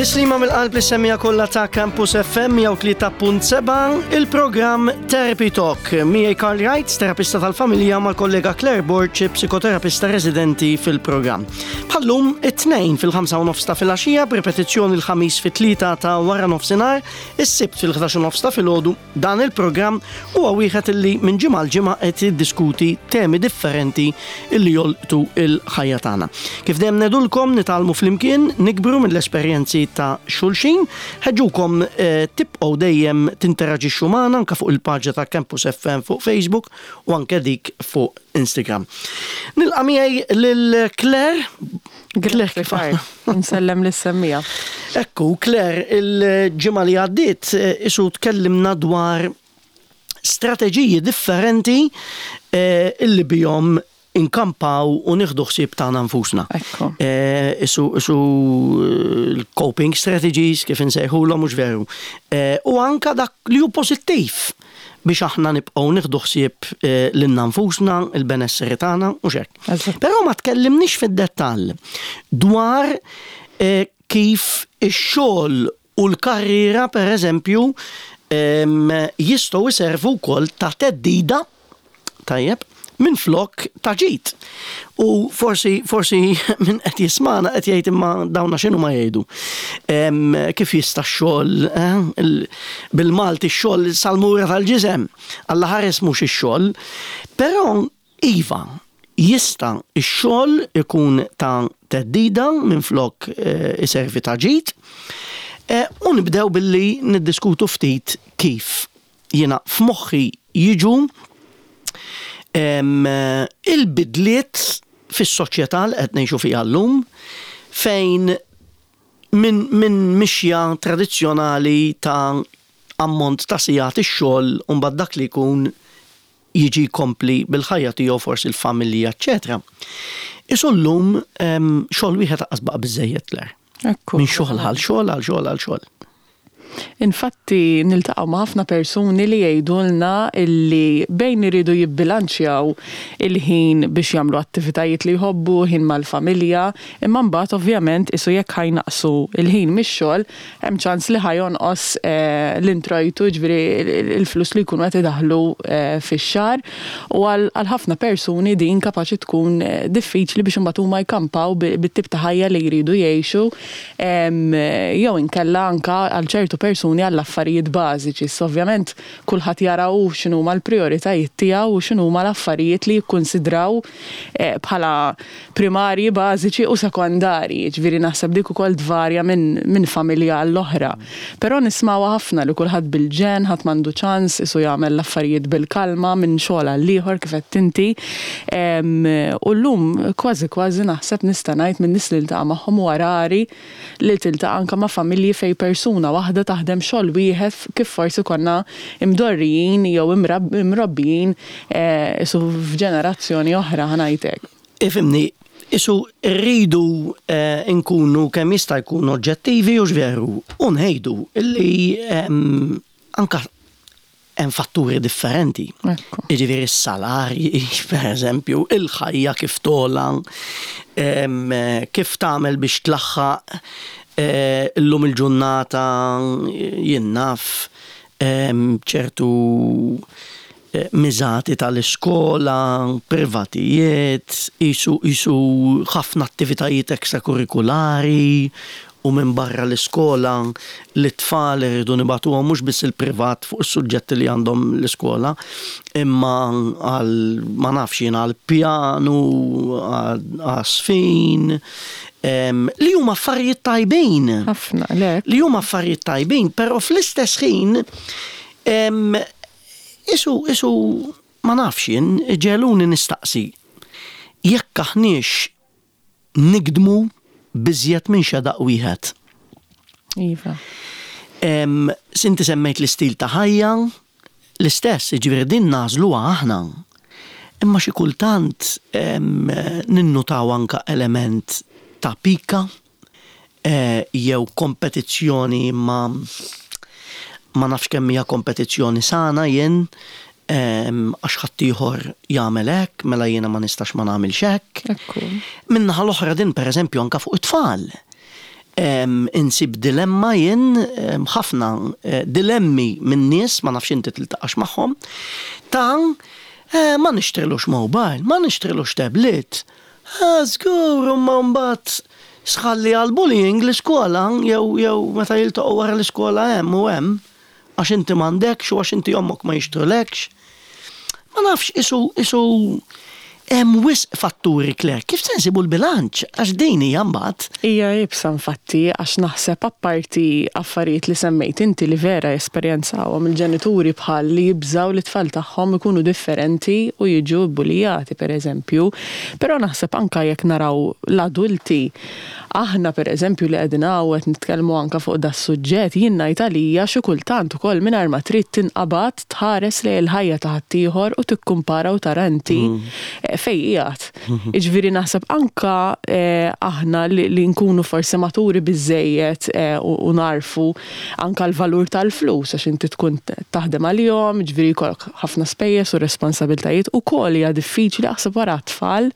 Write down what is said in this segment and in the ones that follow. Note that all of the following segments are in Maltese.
Tislima mill-qalb li semmija kollha ta' Campus FM 103.7 il-programm Therapy Talk. Miegħi Karl Wright, terapista tal-familja mal-kollega Claire Borg, psikoterapista residenti fil-programm. Bħallum it-tnejn fil-5 u nofs ta' filgħaxija b'repetizzjoni l-ħamis fit-tlieta ta' wara nofsinhar, is-sibt fil-11 u nofs ta' filgħodu Dan il-programm huwa wieħed illi minn ġimgħa għal ġimgħa qed jiddiskuti temi differenti illi jolqtu l-ħajja tagħna. Kif dejjem ngħidulkom nitgħallmu flimkien, nikbru mill-esperjenzi ta' xulxin, ħeġġukom eh, tibqgħu dejjem tinteraġixxu magħna anke fuq il-paġna ta' Campus FM fuq Facebook u anke dik fuq Instagram. Nilqa' miegħi lil Claire. Claire kif aħna? Nsellem lis-semmija. Ekku, Claire, il-ġimgħa li għaddiet eh, isu tkellimna dwar strateġiji differenti eh, illi bihom inkampaw u nieħdu ħsieb tagħna nfusna. Ekku. Eh, isu isu l-coping strategies kif insejħulhom mhux veru. U anka dak li hu pożittiv biex aħna nibqgħu nieħdu ħsieb lilna nfusna, il-benesseri tagħna u x'hekk. Però ma tkellimniex fid-dettall dwar kif ix-xogħol u l-karriera pereżempju jistgħu jservu wkoll ta' theddida Tajjeb, minflok ta' ġid. U forsi, forsi min qed jismagħna qed jgħid imma dawna x'inhu ma jgħidu. Kif jista' x-xogħol, eh, bil-Malti x-xogħol salmura tal-ġisem, Alla ħares mhux ix-xogħol. Però iva, jista' x-xogħol ikun ta' theddida minflok eh, iservi ta' ġid. Eh, u nibdew billi niddiskutu ftit kif jiena f'moħħi jiġu il-bidliet fis-soċjetà li qed ngħixu fiha llum fejn minn min mixja tradizzjonali ta' ammont ta' sigħat ix-xogħol u mbagħad dak li jkun jiġi jkompli bil-ħajja tiegħu forsi l-familja eċċetera. Isu llum xogħol wieħed aqqas baqa' biżżejjed Claire. Minn xogħol għal xogħol għal xogħol għal xogħol. Infatti niltaqgħu ma' ħafna persuni li jgħidulna illi bejn iridu jibbilanċjaw il-ħin biex jagħmlu attivitajiet li jħobbu, ħin mal-familja, imma mbagħad ovvjament qisu jekk ħa jnaqqsu l-ħin mix-xogħol, hemm ċans li ħa jonqos l-introjtu, jiġifieri l-flus li jkunu qed idaħħlu fix-xahar. U għal ħafna persuni din kapaċi tkun diffiċli biex imbagħad huma jkampaw bit-tip ta' ħajja li jridu jgħixu. Jew inkella anke għal ċertu persuni għall-affarijiet bażiċi. Issa ovvjament kulħadd jara hu x'inhuma l-prijoritajiet tiegħu u x'inhuma l-affarijiet li jikkunsidraw bħala primarji, bażiċi u sekondarji. Jiġifieri naħseb dik ukoll tvarja minn familja għall-oħra. Però nismgħuha ħafna li kulħadd bil-ġenn, ħadd m'għandu ċans qisu jagħmel l-affarijiet bil-kalma minn xogħol għall-ieħor kif għedt inti. U llum kważi kważi naħseb nista' ngħid min-nies li niltaqa' magħhom huwa rari li tiltaqa' anke ma' familji fejn persuna waħda taħdem xogħol wieħed kif forsi konna imdorrijin jew imrobbijin qisu f'ġenerazzjoni oħra ħa ngħid hekk. Ifhimni, qisu rridu nkunu kemm jista' jkun oġġettivi hux veru u ngħidu li anke hemm fatturi differenti. Jiġifieri s-salarji, pereżempju, il-ħajja kif togħla, kif tagħmel biex tlaħħaq eh, illum il-ġurnata jien naf ċertu eh, miżati tal-iskola, privatijiet, qisu qisu ħafna attivitajiet ekstrakurrikulari u minbarra l-iskola lit-tfal irridu nibagħtuhom mhux biss il-privat fuq is-suġġetti li għandhom l-iskola imma għal ma nafx jien għall-pjanu, għaż-żfin, li huma affarijiet tajbin. Ħafna, le. Li huma affarijiet tajbin, però fl-istess ħin isu isu ma nafx jien iġegħluni nistaqsi jekk aħniex nigdmu b'iżjed minn xedaq wieħed. Iva. Sinti semmejt l-istil ta' ħajja, l-istess, jiġifieri din nagħżluha aħna. Imma xi kultant ninnutaw anke element ta' pika jew kompetizzjoni imma ma nafx kemm hija kompetizzjoni sana jien għax ħaddieħor jagħmel hekk, mela jiena ma nistax ma nagħmilx hekk. Min-naħa l-oħra din pereżempju anke fuq it-tfal. Insib dilemma jien, ħafna dilemmi minn nies, ma nafx inti tiltaqax magħhom, ta' ma nixtrilux mobile, ma nixtrilux tablet. Żgur, imma mbagħad sħalli għall-bullying l-iskola jew jew meta jiltaqgħu wara l-iskola hemm u hemm għax inti m'għandekx u għax inti ommok ma jixtrulekx. Ma nafx, qisu, qisu hemm wisq fatturi Claire. Kif se nsibu l-bilanċ? Għax din hija mbagħad. Hija iebsa infatti għax naħseb apparti affarijiet li semmejt inti li vera jesperjenzawhom il-ġenituri bħal li jibżgħu li t-tfal tagħhom ikunu differenti u jiġu bbulijati pereżempju. Però naħseb anke jekk naraw l-adulti Aħna per eżempju li qegħdin hawn qed nitkellmu anke fuq das-suġġett, jien ngħid għalija xi kultant ukoll mingħajr ma trid tinqabad tħares lejn il-ħajja ta' ħaddieħor u tikkumpara u tara inti fejn qiegħed. Jiġifieri naħseb anke aħna li nkunu forsi maturi biżżejjed u nagħrfu anke l-valur tal-flus għax inti tkun taħdem għalihom, jiġifieri jkollok ħafna spejjeż u responsabilitajiet, ukoll hija diffiċli aħseb wara t-tfal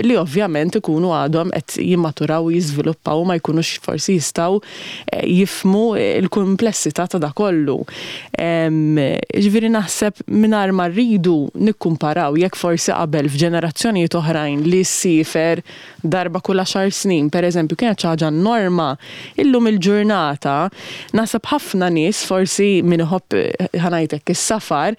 li ovvjament ikunu għadhom qed jimmaturaw u jiżviluppaw u ma jkunux forsi jistgħu eh, jifhmu l-kumplessità ta' dak kollu. Ġifieri naħseb mingħajr ma rridu nikkumparaw jekk forsi qabel f'ġenerazzjonijiet oħrajn li ssiefer darba kull għaxar snin, pereżempju, kienet xi ħaġa norma, illum il-ġurnata naħseb ħafna nies forsi min iħobb ħa ngħid hekk is-safar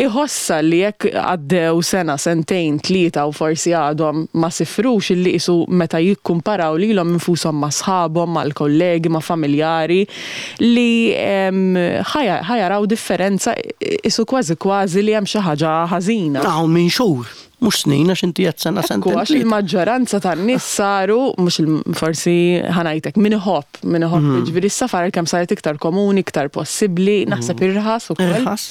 iħossha li jekk għaddew sena, sentejn, tlieta u forsi għadhom ma sifrux illi qisu meta jikkumparaw lilhom infushom ma' sħabhom, mal-kollegi, ma' familjari li ħa jaraw differenza qisu kważi kważi li hemm xi ħaġa ħażina. Hawn minn xhur. Mhux snin għax inti qed sena sentejn. Ekku, għax il-maġġoranza tan-nies saru, mhux forsi ħa ngħidlek, min iħobb, min iħobb, jiġifieri s-safar għalkemm saret iktar komuni, iktar possibbli, naħseb irħas ukoll. Irħas.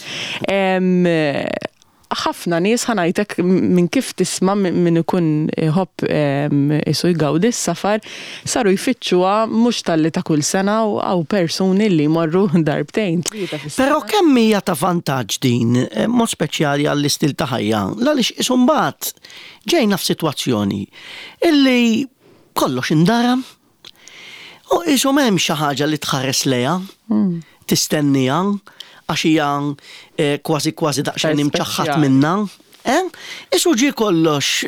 Ħafna nies ħa ngħidlek minn kif tisma' min ikun iħobb isu jgawdi s-safar, saru jfittxuha mhux talli ta' kull sena u hawn persuni li jmorru darbtejn, tlieta fis-sena. Però kemm hija ta' vantaġġ din, b'mod speċjali għall-istil ta' ħajja, l-għaliex qisu mbagħad ġejna f'sitwazzjoni illi kollox indaram u qisu m'hemmx xi ħaġa li tħares lejha, tistenniha għax hija kważi kważi daqsxejn imċaħħad minnha. Eh? Isu ġie kollox,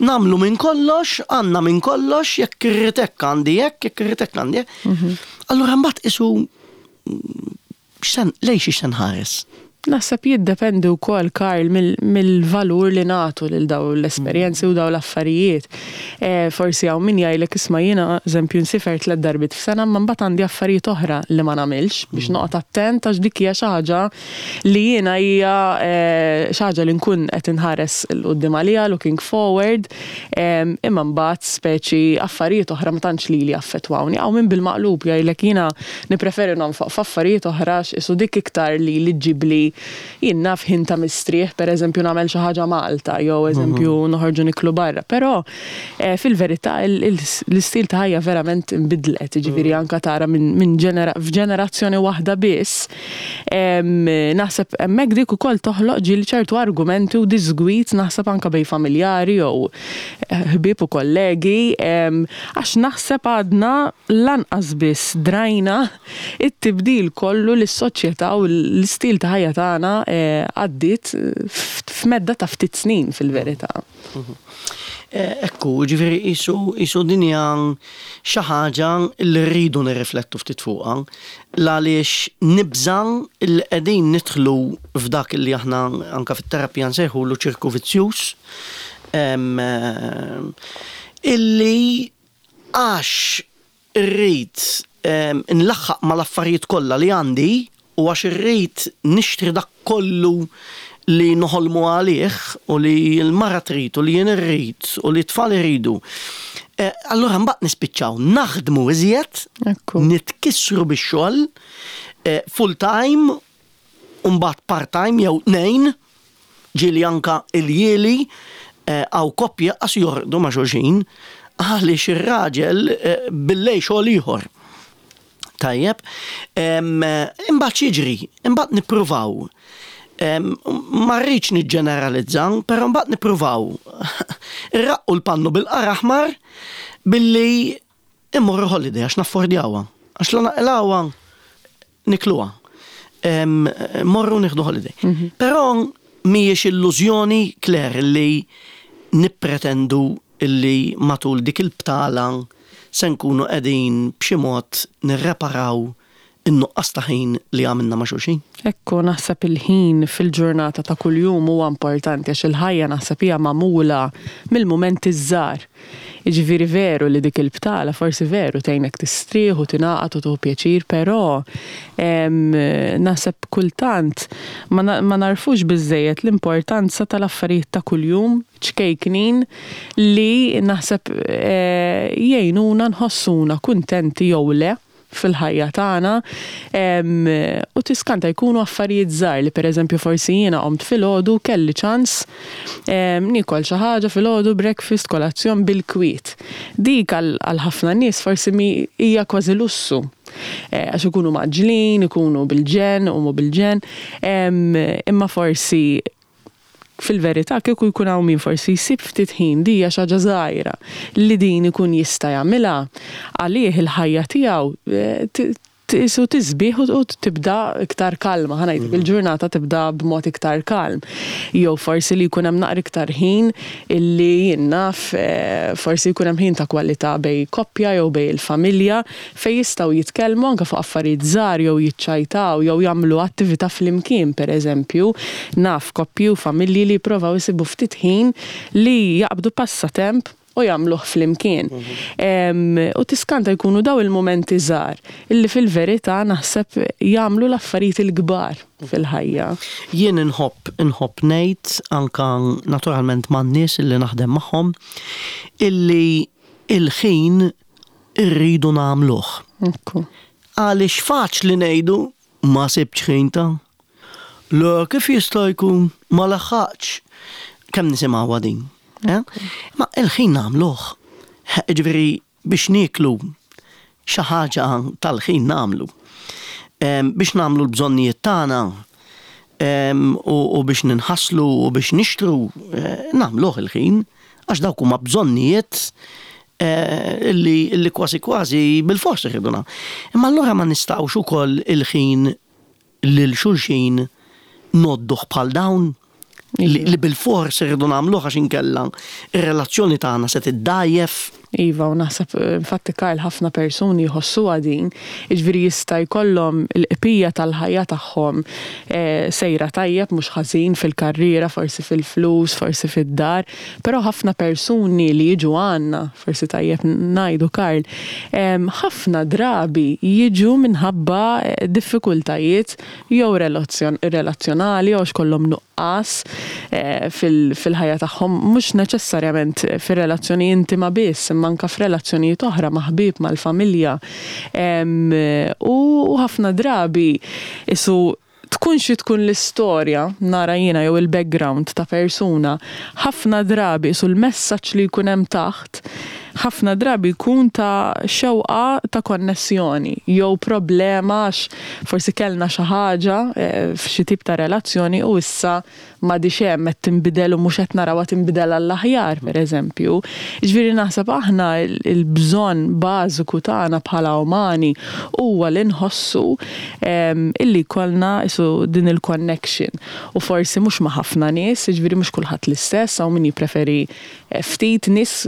nagħmlu minn kollox, għandna minn kollox, jekk irrid hekk għandi hekk, jekk irrid hekk għandi hekk. Allura mbagħad isu lejn xiex se nħares? Naħseb jiddependi wkoll, Karl, mill-valur li nagħtu lil dawn l-esperjenzi u dawn l-affarijiet. Forsi hawn min jgħidlek isma' jiena eżempju nsifer tlett darbiet f'sena imma mbagħad għandi affarijiet oħra li ma nagħmilx biex noqgħod attent għax dik hija xi ħaġa li jiena hija xi ħaġa li nkun qed inħares 'l quddiem għaliha, looking forward, imma mbagħad speċi affarijiet oħra ma tantx lili jaffettwawni. Hawn min bil-maqlub jgħidlek jiena Nippreferi nonfoq f'affarijiet oħra għax qisu dik iktar lili ġġibli, jien naf, ħin ta' mistrieħ, pereżempju nagħmel xi ħaġa Malta jew eżempju noħorġu niklu barra. Però fil-verità l-istil ta' ħajja verament inbidlet, jiġifieri anke tara minn f'ġenerazzjoni waħda biss, naħseb hemmhekk dik ukoll toħloq ġieli ċertu argumenti u diżgwid naħseb anke bejn familjari jew ħbieb u kollegi għax naħseb għadna lanqas biss drajna t-tibdil kollu li s-soċjetà u l-istil ta' ħajja tagħna għaddiet f'medda ta' ftit snin fil-verità. Ekku, jiġifieri qisu qisu din hija xi ħaġa li rridu nirriflettu ftit fuqha l-għaliex nibża' li qegħdin nidħlu f'dak li aħna anke fit-terapija nsejħulu ċirku vizzjuż illi għax irrid inlaħħaq mal-affarijiet kollha li għandi u għax irrid nixtri dak kollu li noħolmu għalih u li l-mara trid u li jien irrid u li t-tfal iridu, allura mbagħad nispiċċaw naħdmu iżjed, nitkissru bix-xogħol, full time u mbagħad part time jew tnejn, ġieli anke iljieli, hawn koppji qas jorqdu ma' xulxin għaliex ir-raġel billejl xogħol ieħor. Tajjeb, imbagħad x'jiġri? Imbagħad nippruvaw. Ma rridx niġġeneralizza, però mbagħad nippruvaw irraqqu l-pannu bil-qar aħmar billi. Immorru holiday għax naffordjawha. Għax la naqilgħuha nikluha. Morru nieħdu holiday. Però mhijiex illużjoni, Claire, li nippretendu illi matul dik il-btala se nkunu qegħdin b'xi mod nirreparaw in-nuqqas ta' ħin li għamilna ma' xulxin. Ekku, naħseb il-ħin fil-ġurnata ta' kuljum huwa importanti għax il-ħajja naħseb hija magħmula mill-mumenti ż-żgħar. Jiġifieri veru li dik il-btala forsi veru tgħinek tistrieħ u tingħaqad u tieħu pjaċir, però naħseb kultant ma nagħrfux biżżejjed l-importanza tal-affarijiet ta' kuljum ċkejknin li naħseb jgħinuna nħossuna kuntenti jew le fil-ħajja tagħna u tiskanta jkunu affarijiet żgħar li pereżempju forsi jiena qomt filgħodu kelli ċans niekol xi ħaġa filgħodu breakfast, kolazzjon bil-kwiet. Dik għal ħafna nies forsi hija kważi lussu. Eh, għax ikunu mgħaġġlin, ikunu bil-ġenn, iqumu bil-ġenn, imma forsi Fil-verità, kieku jkun hawn min forsi jsib ftit ħin, di hija xi ħaġa żgħira, li din ikun jista' jagħmilha, għalih il-ħajja tiegħu qisu tisbieħ u tibda iktar kalma, ħa ngħidlek, il-ġurnata tibda b'mod iktar kalm. Jew forsi li jkun hemm naqra iktar ħin illi jien naf, forsi jkun hemm ħin ta' kwalità bejn koppja jew bejn il-familja, fejn jistgħu jitkellmu anke fuq affarijiet żgħar jew jiċċajtaw jew jagħmlu attività flimkien pereżempju. Naf koppji u familji li jipprovaw isibu ftit ħin li jaqbdu passatemp u jagħmluh flimkien. U tiskanta jkunu dawn il-mumenti żgħar illi fil-verità naħseb jagħmlu l-affarijiet il-kbar fil-ħajja. Jien inħobb inħobb ngħid anke naturalment man-nies illi naħdem magħhom illi il-ħin irridu nagħmluh. Ekku. Għaliex faċli ngħidu ma sibtx ħin ta'. Le kif jista' jkun ma laħħaqtx. Kemm nisimgħuha din. Eh? Ma il-ħin nagħmluh. Ġifieri biex nieklu xi ħaġa tal-ħin nagħmlu. Biex nagħmlu l-bżonnijiet tagħna u biex ninħaslu u biex nixtru eh, nagħmluh il-ħin għax dawk huma bżonnijiet eh, illi kważi kważi bil-fors irridu Imma allura ma nistgħux ukoll il-ħin lil xulxin ngħodduh bħal dawn li bil-fors irridu nagħmluh għax inkella ir-relazzjoni tagħna se tiddgħajjef. Iva, u naħseb infatti Karl ħafna persuni jħossuha din, jiġifieri jista' jkollhom il-qbija tal-ħajja tagħhom eh, sejra tajjeb mhux ħażin fil-karriera, forsi fil-flus, forsi fid-dar, però ħafna persuni li jiġu għandna, forsi tajjeb ngħidu Karl, ħafna drabi jiġu minħabba eh, diffikultajiet jew relazzjonali jew għax kollhom nuqqas eh, fil-ħajja tagħhom, mhux neċessarjament fir-relazzjoni intima biss, imma anke f'relazzjonijiet oħra ma' ħbieb, mal-familja. U ħafna drabi isu tkun xi tkun l-istorja, nara jiena jew il-background ta' persuna, ħafna drabi isu l-messaġġ li jkun hemm taħt, ħafna drabi jkun ta' xewqa ta' konnessjoni jew problema għax forsi kellna xi ħaġa eh, f'xi tip ta' relazzjoni u issa m'għadhiex hemm qed tinbidel u mhux qed narawha tinbidel għall-aħjar pereżempju. Jiġifieri naħseb aħna l-bżonn bażiku tagħna bħala umani huwa li nħossu illi jkollna qisu din il-connection u forsi mhux ma' ħafna nies, jiġifieri mhux kulħadd l-istess, hawn min jippreferi ftit nies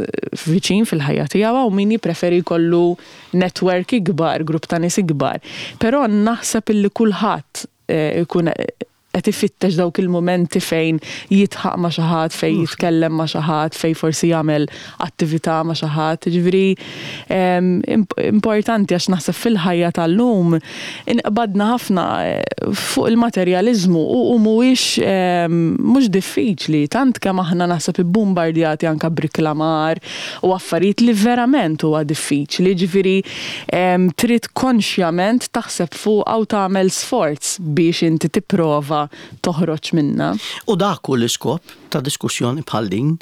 viċin fil-ħajja tiegħu hawn min jippreferi jkollu network ikbar, grupp ta' nies ikbar. Però naħseb illi kulħadd ikun qed ifittex dawk il-mumenti fejn jidħaq ma' xi ħadd, fejn jitkellem ma' xi ħadd, fejn forsi jagħmel attività ma' xi ħadd. Jiġifieri importanti għax naħseb fil-ħajja tal-lum inqbadna ħafna fuq il-materjaliżmu u mhuwiex mhux diffiċli tant kemm aħna naħseb ibbumbardjati anke b'riklamar u affarijiet li verament huwa diffiċli. Jiġifieri trid konxjament taħseb fuqha u tagħmel sforz biex inti tipprova toħroġ minnha. U dak hu l-iskop ta' diskussjoni bħal din,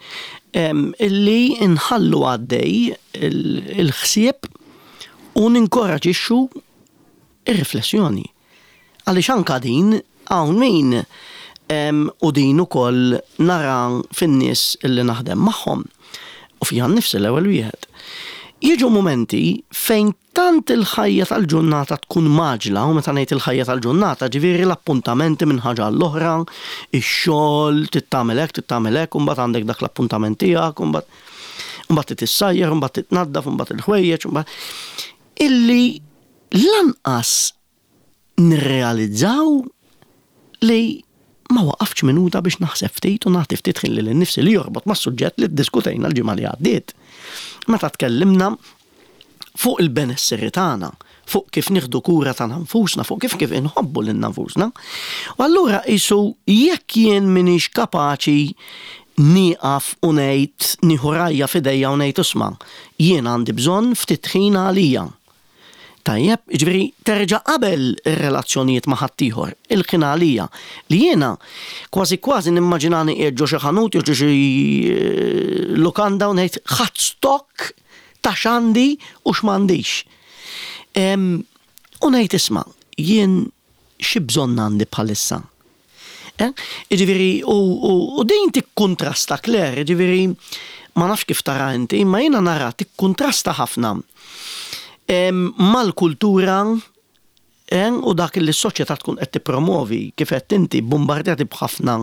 illi nħallu għaddej il-ħsieb u ninkoraġixxu r-riflessjoni. Għaliex anka din hawn min u din ukoll nara fin-nies li naħdem magħhom u fija nnifsi l-ewwel wieħed. Jiġu mumenti fejn tant il-ħajja tal-ġurnata tkun mgħaġġla, u meta ngħid il-ħajja tal-ġurnata, ġifieri l-appuntamenti minn ħaġa għall-oħra, ix-xogħol, trid tagħmel hekk, trid tagħmel hekk, u mbagħad għandek dak l-appuntament tiegħek, u mbagħad u mbagħad trid issajjar, u mbagħad titnaddaf, u mbagħad il-ħwejjeġ, u mbagħad illi lanqas nirrealizzaw li ma waqaftx minuta biex naħseb ftit u nagħti ftit ħin lili nnifsi li jorbot mas-suġġett li ddiskutejna l-ġimgħa li għaddiet. Meta tkellimna fuq il-benesseri tagħna, fuq kif nieħdu kura tagħna nfusna, fuq kif kif inħobbu lilna nfusna. U allura qisu jekk jien m'iniex kapaċi nieqaf u ngħid nieħu rajja f'idejja u ngħid isma' jien għandi bżonn ftit ħin għalija. Tajjeb, jiġifieri terġa' qabel ir-relazzjonijiet ma' ħaddieħor, il-ħin għalija, li jiena kważi kważi nimmaġinani qiegħed ġo xi ħanut jew ġo xi lukanda u ngħid ħadt stock ta' x'għandi u x'm'għandix. U ngħid isma' jien xi bżonn għandi bħalissa? Eh? Jiġifieri, u din tikkuntrasta Claire, jiġifieri ma nafx kif tara inti, imma jiena nara tikkuntrasta ħafna mal-kultura eh, u dak li s-soċjetà tkun qed tippromovi, kif qed inti bombardjati b'ħafna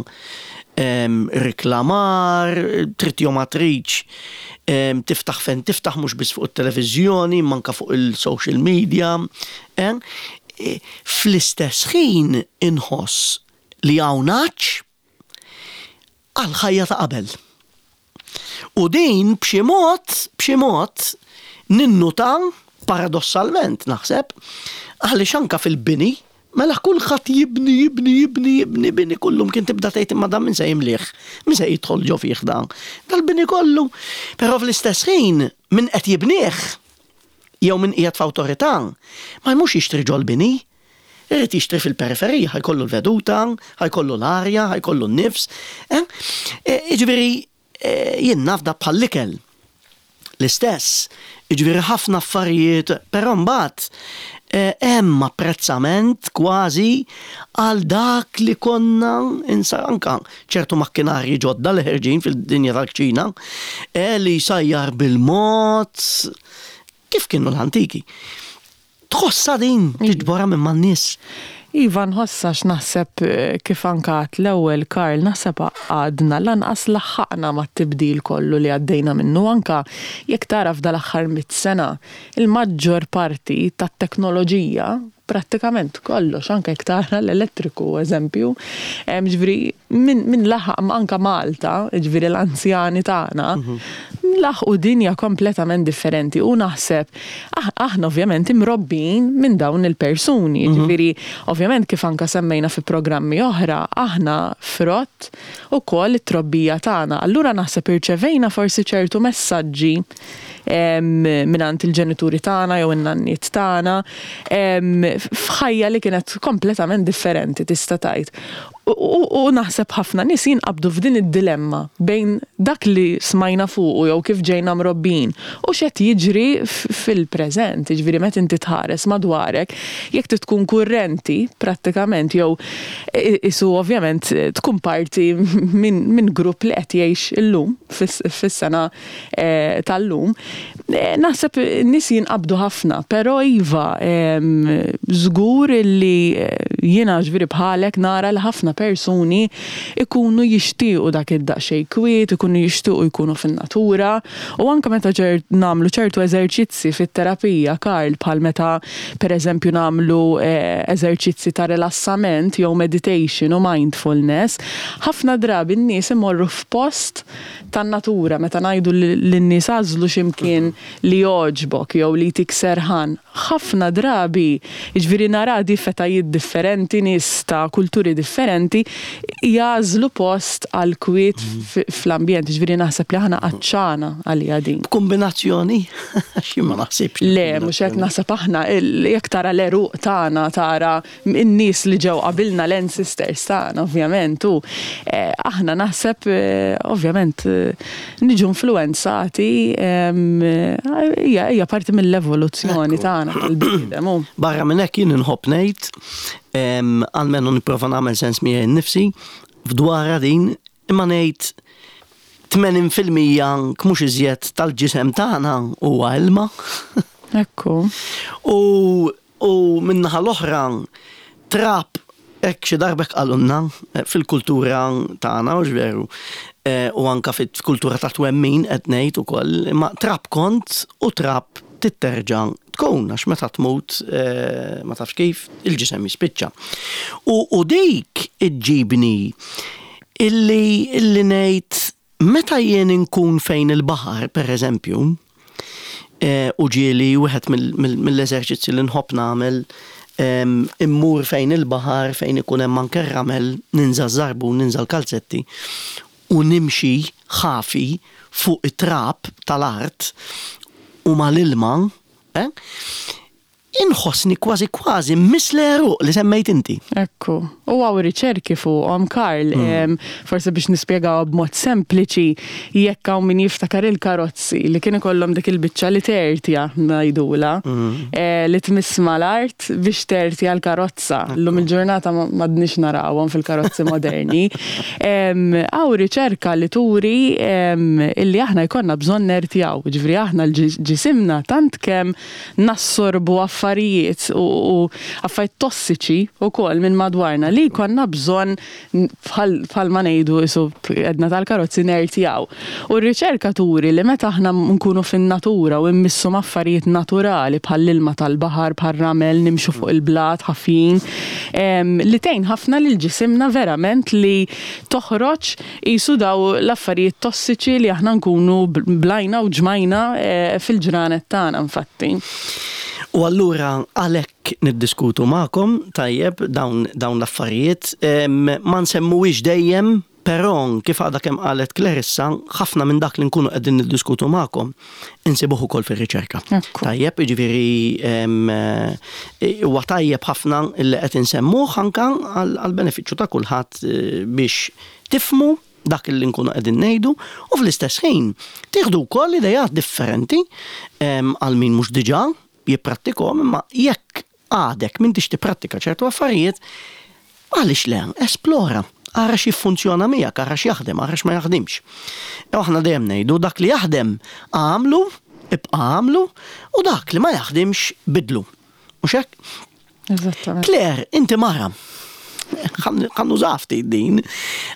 riklamar, trid jew ma tridx tiftaħ fejn tiftaħ mhux biss fuq it-televiżjoni, imma anke fuq il-social media. Eh, Fl-istess ħin inħoss li hawn għatx għall-ħajja ta' qabel. U din b'xi mod, b'xi mod ninnuta paradossalment naħseb, għaliex anke fil-bini, mela kulħadd jibni, jibni, jibni, jibni, bini kullum kien tibda tgħid imma dan min se jimlih, min se jidħol ġo fih dan. Dal-bini kollu. Però fl-istess ħin min qed jibnih jew min qiegħed f'awtorità, ma jmurx jixtri ġol-bini. Irid jixtri fil-periferija, ħa jkollu l-veduta, ħa jkollu l-arja, ħa jkollu n-nifs. Eh? E, jiġifieri e, jien naf da bħall-ikel. L-istess, jiġifieri ħafna affarijiet, però mbagħad e, hemm apprezzament kważi għal dak li konna insa anka ċertu makkinarji ġodda li ħerġin fil-dinja tal-kċina, eh, li jsajjar bil-mod, kif kienu l-antiki. Tħossha din tiġborha minn man-nies? Iva nħossha għax naħseb eh, kif anka għadt l-ewwel Karl naħseb għadna lanqas laħħaqna mat-tibdil kollu li għaddejna minnu anka jekk tara f'dal-aħħar mit sena il-maġġor parti tat-teknoloġija prattikament kollox, anke jekk tara l-elettriku eżempju, ġifieri min, min laħaq anke Malta, ġifieri l-anzjani tagħna, mhm. laħqu dinja kompletament differenti u naħseb ah, aħna ovvjament imrobbin minn dawn il-persuni, mhm. ġifieri ovvjament kif anke semmejna fi programmi oħra, aħna frott ukoll it-trobbija tagħna. Allura naħseb irċevejna forsi ċertu messaġġi mingħand il-ġenituri tagħna jew in-nanniet tagħna f'ħajja li kienet kompletament differenti tista' tgħid. U naħseb ħafna nies jinqabdu f'din id-dilemma bejn dak li smajna fuqu jew kif ġejna mrobbijin u x'qed jiġri fil-preżent. Jiġifieri meta inti tħares madwarek, jekk trid tkun kurrenti prattikament jew isu ovvjament tkun parti minn grupp li qed jgħix illum fis-sena tal-lum, naħseb nies jinqabdu ħafna, però iva, żgur li jiena ġifieri bħalek nara li ħafna persuni ikunu jixtiequ dak id-daqsxejn kwiet, ikunu jixtiequ jkunu fin-natura u anke meta nagħmlu ċertu eżerċizzi fit-terapija, Karl, bħal meta pereżempju nagħmlu eżerċizzi ta' rilassament jew meditation u mindfulness, ħafna drabi n-nies imorru f'post tan-natura, meta ngħidu lin-nies agħżlu xi mkien li jogħġbok jew li jtik serħan, ħafna drabi, jiġifieri nara di f'etajiet differenti, nies ta' kulturi differenti, jagħżlu post għall-kwiet fl-ambjent, jiġifieri naħseb li aħna għatxana għaliha din. B'kumbinazzjoni? Għax jien ma naħsibx. Le, mhux hekk naħseb aħna, jekk tara l-għeruq tagħna, tara in-nies li ġew qabilna l-ancestors tagħna ovvjament u eh, aħna naħseb eh, ovvjament eh, niġu influenzati hija parti mill-evoluzzjoni tagħna tal-bniedem. Barra minn hekk jien inħobb ngħid almenu nipprova nagħmel sens miegħi nnifsi f'dwarha din imma ngħid. 80% mhux iżjed tal-ġisem tagħna huwa ilma. Ekku. U u min-naħa l-oħra trab hekk xi darba hekk qalulna fil-kultura tagħna hux veru, u anke fil-kultura ta' twemmin qed ngħid ukoll, imma trab kont u trab trid terġa' tkun għax meta tmut ma tafx kif il-ġisem jispiċċa. U u dik iġġibni illi illi ngħid meta jien inkun fejn il-baħar pereżempju, u ġieli wieħed mill-eżerċizzji li nħobb nagħmel immur fejn il-baħar fejn ikun hemm anke r-ramel, ninża' ż-żarbun, ninża' l-kalzetti u nimxi ħafi fuq it-trab tal-art u mal-ilma, eh, Inħossni kważi kważi mmiss l-għeruq li semmejt inti. Ekku. U hawn riċerki fuqhom, Karl. Forsi biex nispjegawha b'mod sempliċi, jekk hawn min jiftakar il-karozzi li kien ikollhom dik il-biċċa li tertja ngħidulha, li tmiss mal-art biex tertja l-karozza. Illum il-ġurnata m'għadniex narawhom fil-karozzi moderni. Hawn riċerka li turi illi aħna jkollna bżonn nertjaw. Jiġifieri aħna l-ġisimna tant kemm nassorbu affarijiet u affarijiet tossiċi wkoll minn madwarna li jkollna bżonn bħal ma ngħidu isu għedna tal-karozzi nertjaw. U r-riċerka turi li meta aħna nkunu fin-natura u mmissu m'affarijiet naturali bħall-ilma tal-baħar, bħar-ramel, nimxu fuq il-blat ħafjin, li tgħin ħafna lil ġisimna verament li toħroġ Qisu daw l-affarijiet tossiċi li aħna nkunu blajna u ġmajna fil-ġranet tagħna infatti. U allura għalhekk niddiskutu magħkom, tajjeb, dawn dawn l-affarijiet. Ma nsemmuhiex dejjem, però kif għadha kemm qalet Clarissa, ħafna minn dak li nkunu qegħdin niddiskutu magħkom insibuh ukoll fir-riċerka. Tajjeb, jiġifieri huwa tajjeb ħafna li qed insemmuh anke għall-benefiċċju ta' kulħadd biex tifhmu dak li nkunu qegħdin ngħidu u fl-istess ħin tieħdu wkoll ideat differenti għal min mhux diġà jipprattikhom imma jekk għadek m'intix tipprattika ċertu affarijiet, għaliex le, esplora, ara x'jiffunzjona miegħek, ara x'jaħdem, ara x'ma jaħdimx. U aħna dejjem ngħidu dak li jaħdem agħmlu, ibqa' agħmlu, u dak li ma jaħdimx bidlu. Mhux hekk? Eżattament. Claire, inti mara. Ħa nużaha ftit din,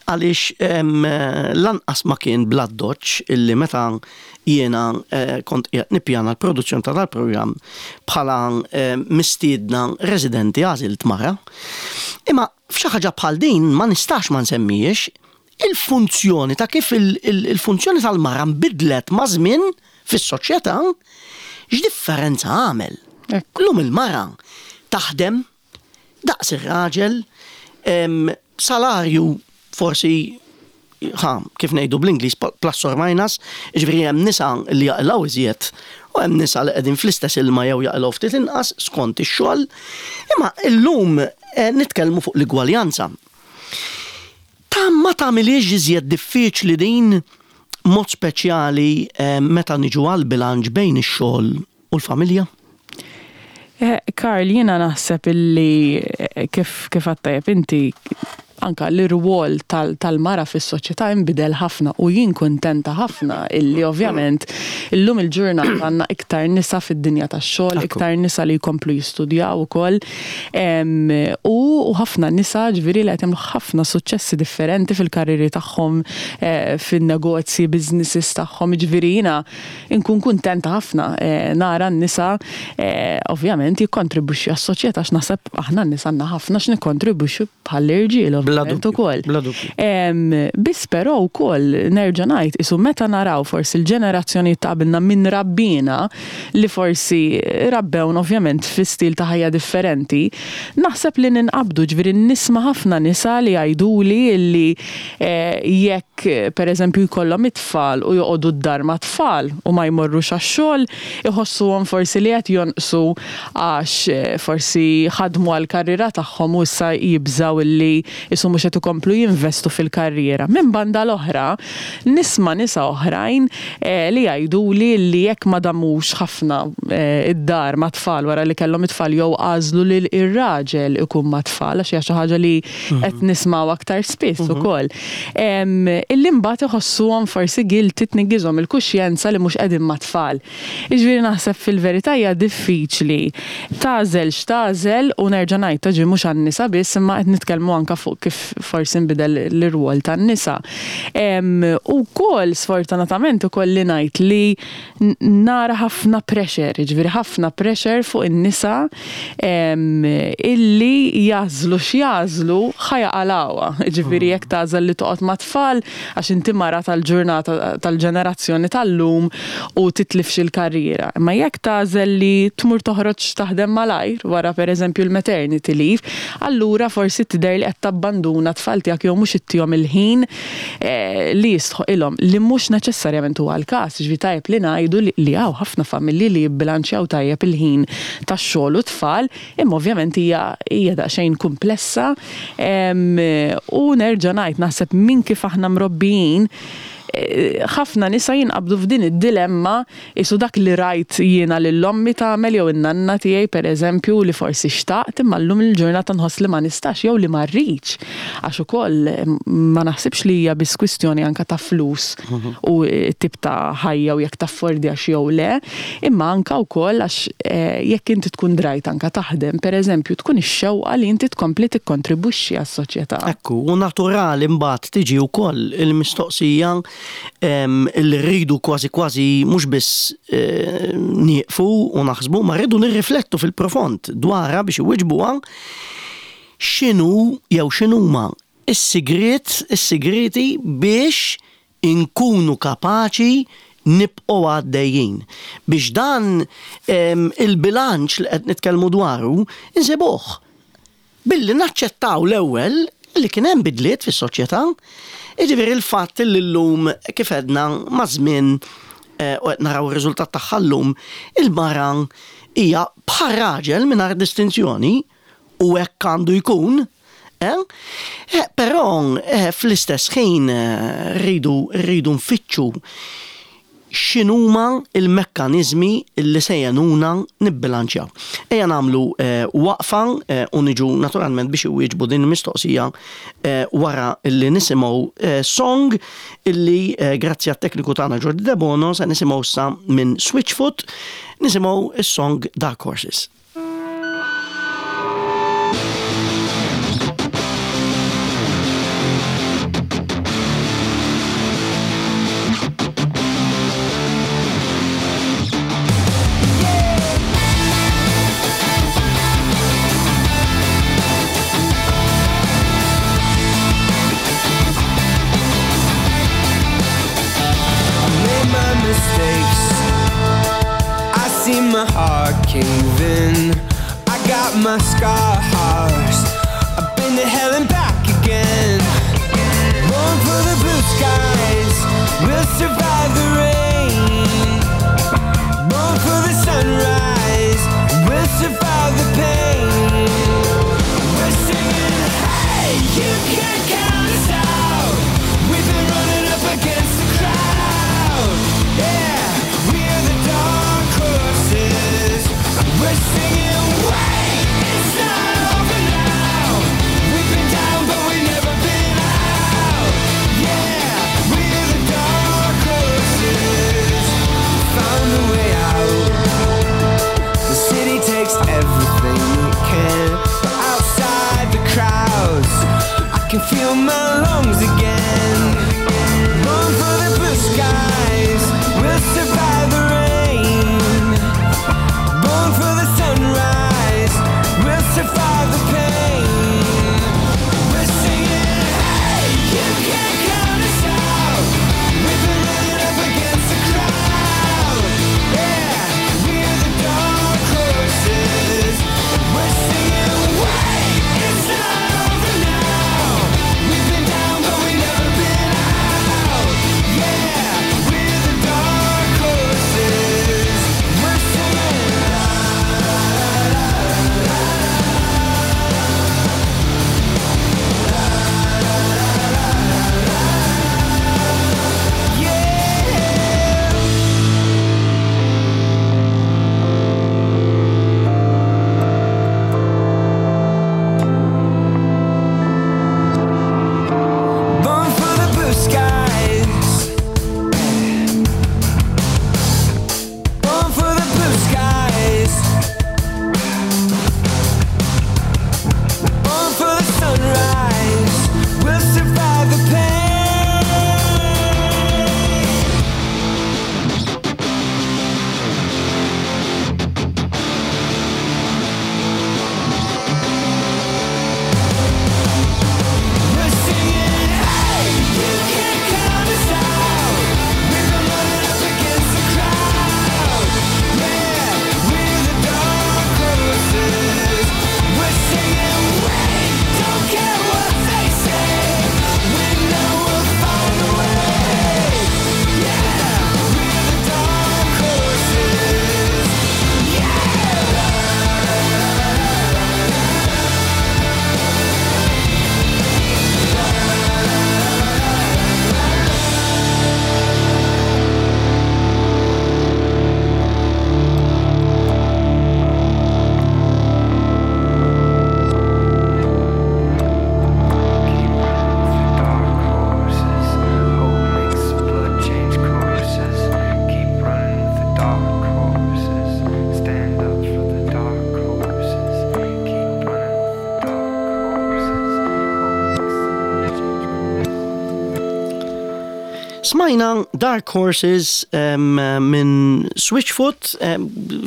għaliex lanqas ma kien bl-addoċċ illi meta jiena kont qiegħed nippjana l-produzzjoni ta' dal-programm bħala mistiedna residenti għażilt mara. Imma f'xi ħaġa bħal din ma nistax ma nsemmihiex il-funzjoni ta' kif il-funzjoni tal-mara nbidlet maż-żmien fis-soċjetà, x'differenza għamel. Illum il-mara taħdem daqs ir-raġel, salarju forsi ħa, kif ngħidu bl-Ingliż plus or minus, jiġifieri hemm nisa li jaqilgħu iżjed u hemm nisa li qegħdin fl-istess ilma jew jaqilgħu ftit inqas skont ix-xogħol. Imma illum nitkellmu fuq l-igwaljanza. Ta' ma tagħmilhiex iżjed diffiċli din, mod speċjali meta niġu għall-bilanċ bejn ix-xogħol u l-familja? Karl, jiena naħseb illi kif kif għedt tajjeb inti, anke l-irwol tal-mara fis-soċjetà inbidel ħafna u jien kuntenta ħafna illi ovvjament illum il-ġurnata għandna iktar nisa fid-dinja tax-xogħol, iktar nisa li jkomplu jistudjaw ukoll. U ħafna nisa ġifieri li qed jagħmlu ħafna suċċessi differenti fil-karrieri tagħhom, fin-negozji, businesses tagħhom, jiġifieri jiena nkun kuntenta ħafna nara n-nisa ovvjament jikkontribwixxu għas-soċjetà għax naħseb aħna n-nisa għandna ħafna x'nikkontribwixxu bħall-irġiel ovvjament ukoll. Biss però wkoll nerġa' ngħid qisu meta naraw forsi l-ġenerazzjonijiet ta' qabilna min rabbiena li forsi rabbewna ovvjament fi stil ta' ħajja differenti, naħseb li ninqabdu, ġifieri nisma' ħafna nisa li jgħiduli li jekk pereżempju jkollhom it-tfal u joqogħdu d-dar mat-tfal u ma jmorrux għax-xogħol, iħossuhom forsi li qed jonqsu għax forsi ħadmu għall-karriera tagħhom u issa jibżgħu li. Qisu mhux qed ikomplu jinvestu fil-karriera. Minn banda l-oħra, nisma' nisa oħrajn li jgħiduli li jekk ma damux ħafna id-dar mat-tfal wara li kellhom it-tfal jew għażlu li r-raġel ikun mat-tfal għax hija xi ħaġa li qed nismgħu aktar spiss ukoll. Illi mbagħad iħossuhom forsi guilty tniggiżhom il-kuxjenza li mhux qegħdin mat-tfal. Jiġifieri naħseb fil-verità hija diffiċli tagħżel x'tagħżel u nerġa' ngħid ta' ġie mhux għan-nisa biss imma qed nitkellmu anke fuq kif forsi nbidel l-irwol tan-nisa. U wkoll sfortunatament ikolli ngħid li nara ħafna pressure, jiġifieri ħafna pressure fuq in-nisa illi jagħżlu x'jagħżlu ħa jaqalgħuha. Jiġifieri jekk tagħżel li toqgħod mat-tfal għax inti mara tal-ġurnata tal-ġenerazzjoni tal-lum u titlifx il-karriera. Imma jekk tagħżel li tmur toħroġ taħdem malajr wara pereżempju l-maternity leave, allura forsi tidher li qed tabbanduna t-tfal tiegħek jew mhux ittihom il-ħin li jistħoqilhom, li mhux neċessarjament huwa l-każ. Jiġifieri tajjeb li ngħidu li hawn ħafna familji li jibbilanċjaw tajjeb il-ħin tax-xogħol u t-tfal, imma ovvjament hija hija daqsxejn kumplessa u nerġa' ngħid naħseb minn kif aħna mrobbijin ħafna nisa jinqabdu f'din id-dilemma qisu dak li rajt jiena lil ommi tagħmel jew in-nanna tiegħi pereżempju li forsi xtaqt imma llum il-ġurnata nħoss li ma nistax jew li ma rridx għax ukoll ma naħsibx li hija biss kwistjoni anke ta' flus u t-tip ta' ħajja u jekk taffordjax jew le, imma anke wkoll għax jekk inti tkun drajt anke taħdem, pereżempju, tkun ix-xewqa li inti tkompli tikkontribwixxi għas-soċjetà. Ekku, u naturali mbagħad tiġi wkoll il-mistoqsija li rridu kważi kważi mhux biss nieqfu u naħsbu, ma rridu nirriflettu fil-profond dwarha biex iwiġbuha x'inhu jew x'inhuma is-sigriet, is-sigrieti biex inkunu kapaċi nibqgħu għaddejjin. Biex dan il-bilanċ li qed nitkellmu dwaru nsibuh. Billi naċċettaw l-ewwel li kien hemm bidliet fis-soċjetà. Jiġifieri l-fatt li llum kif għedna maż-żmien u qed naraw ir-riżultat tagħha llum, il-mara hija bħar-raġel mingħajr distinzjoni u hekk għandu jkun, eh? eh però eh, fl-istess ħin eh, rridu rridu nfittxu x'inhuma l-mekkaniżmi li se jgħinuna nibbilanċjaw. Ejja nagħmlu waqfa u niġu naturalment biex iwieġbu din il-mistoqsija wara li nisimgħu song illi grazzi għat-tekniku tagħna Jordi Debono se nisimgħu issa minn Switchfoot nisimgħu s-song Dark Horses. My heart cave in. I got my scars. I've been to hell and back again. Born for the blue skies. We'll survive the rain. Born for the sunrise. We'll survive the pain. We're singing, hey, you can't count us out. We've been running up against the crowd. Yeah, we're the dark horses. We're singing, wait, it's not over now. We've been down, but we've never been out. Yeah, we're the dark horses. Smajna Dark Horses minn Switchfoot,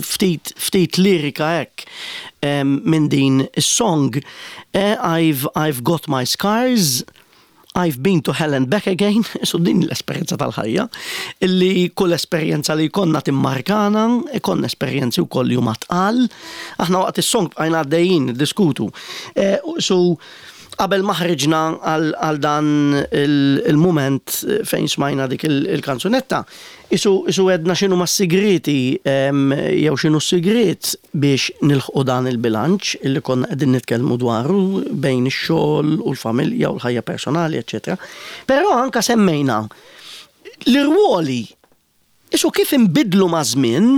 ftit ftit lirika hekk minn din is-song. Eh, I've, I've got my scars, I've been to hell and back again, so din l-esperjenza tal-ħajja, illi kull esperjenza li jkollna timmarkana, ikollna esperjenzi wkoll li huma tqal. Aħna waqt is-song bqajna għaddejjin niddiskutu. Eh, so qabel ma ħriġna għal dan il-mument fejn smajna dik il-kanzunetta, isu isu għedna x'inhuma s-sigrieti jew x'inhu s-sigriet biex nilħqu dan il-bilanċ illi konna qegħdin nitkellmu dwaru bejn ix-xogħol u l-familja u l-ħajja personali, eċċetera. Però anka semmejna l-irwoli isu kif inbidlu maż-żmien,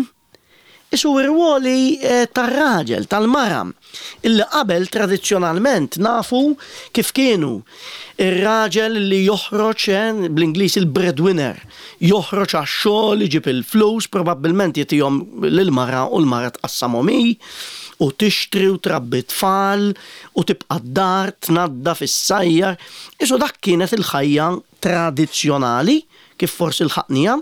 isu r-rwoli tar-raġel, tal-mara, illi qabel tradizzjonalment nafu kif kienu. Ir-raġel li joħroġ, bl-Ingliż il-breadwinner, joħroġ għax-xogħol, iġib il-flus, probabbilment jagħtihom lill-mara u l-mara tqassamhom hi, u tixtri u trabbi t-tfal u tibqa' d-dar tnaddaf, issajjar. Isu dak kienet il-ħajja tradizzjonali kif forsi lħaqniha.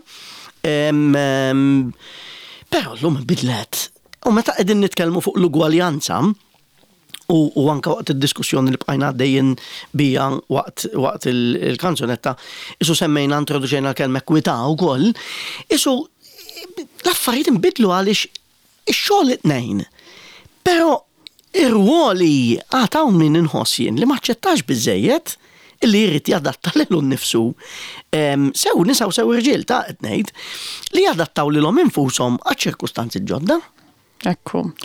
Però llum inbidlet. U meta qegħdin nitkellmu fuq l-ugwaljanza, u, u anka waqt id-diskussjoni li bqajna għaddejjin bija waqt, waqt il-kanzunetta, isu semmejna introduċejna l-kelma ekwità wkoll, isu l-affarijiet inbidlu għaliex Ix-xogħol it-tnejn. Però ir-rwoli għad hawn min inħoss jien li m'aċċettax biżżejjed illi jrid jadatta lilu nnifsu, sew nisa u sew irġiel ta' qed ngħid, li jadattaw lilhom infushom għaċ-ċirkustanzi l-ġodda. Ekku.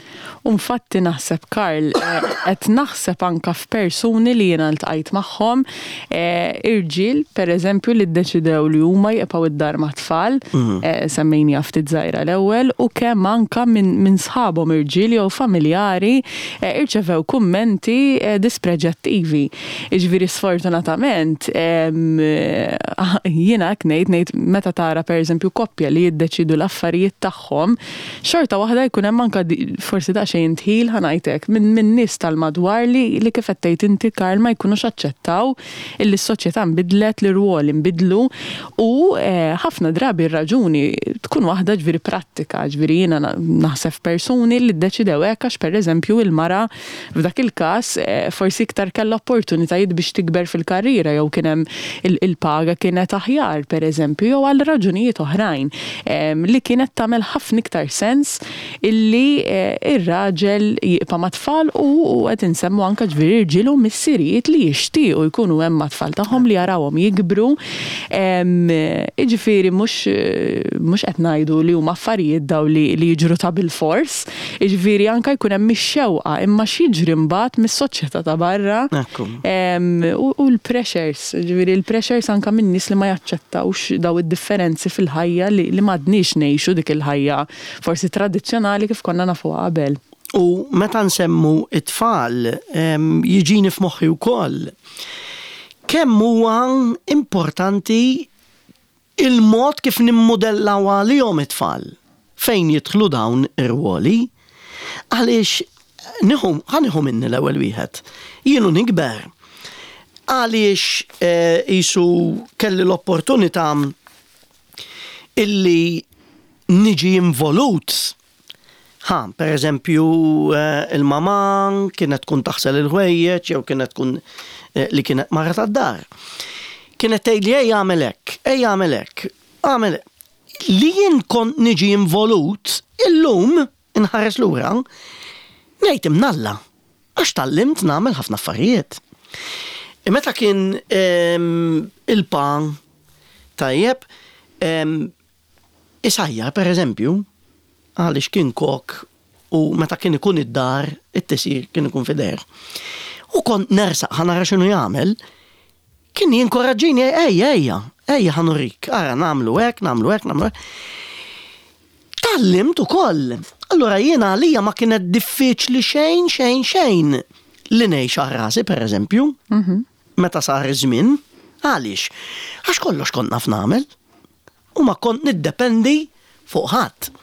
U nfatti naħseb Karl, qed naħseb anka f'persuni li jiena ltqajt magħhom, irġiel pereżempju li ddeċidew li huma jibqgħu id-dar mat-tfal, semmejniha ftit żgħira l-ewwel, u kemm anke minn sħabhom irġiel jew familjari irċevew kummenti dispreġjattivi. Jiġifieri sfortunatament jiena hekk ngħid, ngħid meta tara pereżempju koppja li jiddeċiedu l-affarijiet tagħhom, xorta waħda jkun hemm anke forsi daqsxejn indħil ħa ngħid hekk minn nies tal-madwar li kif qed tgħid inti Karl ma jkunux aċċettaw illi s-soċjetà nbidlet, l-irwoli nbidlu u ħafna drabi r-raġuni tkun waħda ġifieri prattika, ġifieri jiena naħseb f'persuni li ddeċidew hekk għax pereżempju il-mara f'dak il-każ forsi iktar kellha opportunitajiet biex tikber fil-karriera jew kien hemm il-paga kienet aħjar pereżempju jew għal raġunijiet oħrajn li kienet tagħmel ħafna iktar sens illi r-raġel jibqa' mat-tfal u qed insemmu anke ġifieri irġiel u missirijiet li jixtiequ jkunu hemm mat-tfal tagħhom li jarawhom jikbru. Jiġifieri mhux mhux qed ngħidu li huma affarijiet dawn li li jiġru ta' bilfors, jiġifieri anke jkun hemm ix-xewqa imma x'jiġri mbagħad mis-soċjetà ta' barra u l-pressures, jiġifieri l-pressures anke minn nies li ma jaċċettawx dawn id-differenzi fil-ħajja li m'għadniex ngħixu dik il-ħajja forsi tradizzjonali kif konna nafuha qabel. U meta nsemmu t-tfal, jiġini f'moħħi wkoll kemm huwa importanti il-mod kif nimmudellaw għalihom it-tfal fejn jidħlu dawn ir-rwoli. Għaliex nieħu, ħa nieħu minni l-ewwel wieħed. Jien u nikber għaliex qisu kelli l-opportunità illi niġi involut. Ħa, per eżempju, il-mamà kienet tkun taħsel il-ħwejjeġ jew kienet tkun li kienet mara tad-dar. Kienet tgħidli ejja agħmel hekk, ejja agħmel hekk, agħmel hekk. Li jien kont niġi involut, illum inħares lura, ngħid imnalla, għax tgħallimt nagħmel ħafna affarijiet. Meta kien il-pa tajjeb, isajjar pereżempju, għaliex kien kok u meta kien ikun id-dar it-tisjir kien ikun f'idejh. U kont nersaq ħa nara x'inhu jagħmel, kien jinkoraġġini ejja ejja, ejja ħa nurik, ara nagħmlu hekk, nagħmlu hekk, nagħmlu hekk. Tgħallimt ukoll. Allura jiena għalija ma kienet diffiċli xejn xejn xejn li ngħix għal rasi pereżempju. Meta sar iż-żmien. Għaliex? Għax kollox kont naf nagħmel u ma kont niddependi fuq ħadd.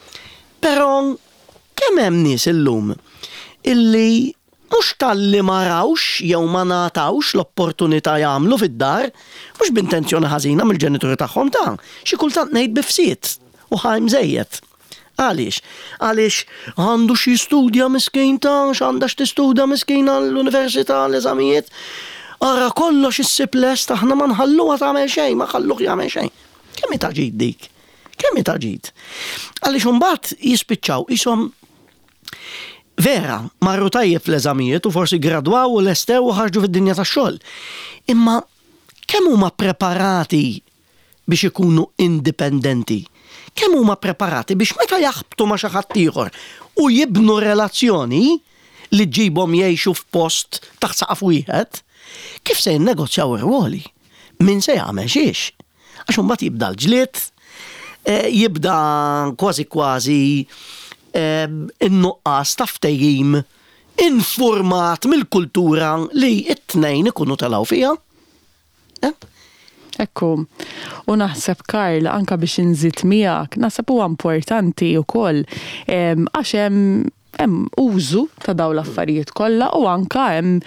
Però kemm hemm nies illum illi Mhux talli ma rawx jew ma ngħatawx l-opportunità jagħmlu fid-dar, mhux b'intenzjoni ħażina mill-ġenituri tagħhom ta', xi kultant ngħid bi fsied u ħajm żejjed. Għaliex? Għaliex għandu x'jistudja miskin ta' x'għandha x'tistudja miskina l-università l-eżamijiet. Ara kollox issib lest aħna ma nħalluha tagħmel xejn, ma nħalluh jagħmel xejn. Kemm hi ta' ġid dik? Kemm hi ta' ġid? Għaliex imbagħad jispiċċaw qishom vera, marru tajjeb fl-eżamijiet u forsi gradwaw u lestew u ħarġu fid-dinja tax-xogħol. Imma kemm huma preparati biex ikunu indipendenti? Kemm huma preparati biex meta jaħbtu ma' xi ħadd ieħor u jibnu relazzjoni li ġġibhom jgħixu f'post taħt saqaf wieħed, kif se jinnegozjaw ir-rwoli? Min se jagħmel xiex? Għax imbagħad jibda l-ġlied, jibda kważi kważi in-nuqqas ta' ftehim infurmat mill-kultura li t-tnejn ikunu telgħu fiha. Ekku. U naħseb Karl, anka biex inżid miegħek, naħseb huwa importanti wkoll għax hemm hemm użu ta' dawn l-affarijiet kollha u anka hemm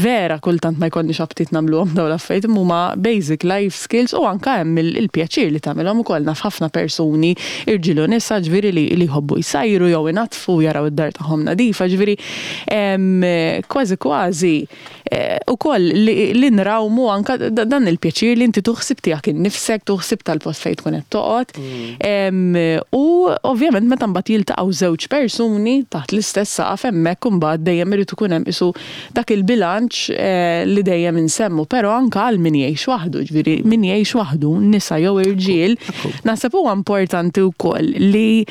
vera kultant ma jkollniex aptit nagħmluhom dawn l-affarijiet imma huma basic life skills u anka hemm il-pjaċir li tagħmilhom ukoll naf ħafna persuni irġiel u nisa ġifieri li li jħobbu jsajru jew inaddfu jaraw id-dar tagħhom nadifa ġifieri kważi kważi ukoll li nrawmu anka dan il-pjaċir li inti tuħsib tiegħek innifsek, tuħsib tal-post fejn tkun qed toqgħod. U ovvjament meta mbagħad jiltaqgħu żewġ persuni taħt l-istess saqaf hemmhekk imbagħad dejjem irid ikun hemm qisu dak il-bilanċ li dejjem insemmu, però anka għal min jgħix waħdu, ġifieri min jgħix waħdu, nisa jew irġiel, naħseb huwa importanti wkoll li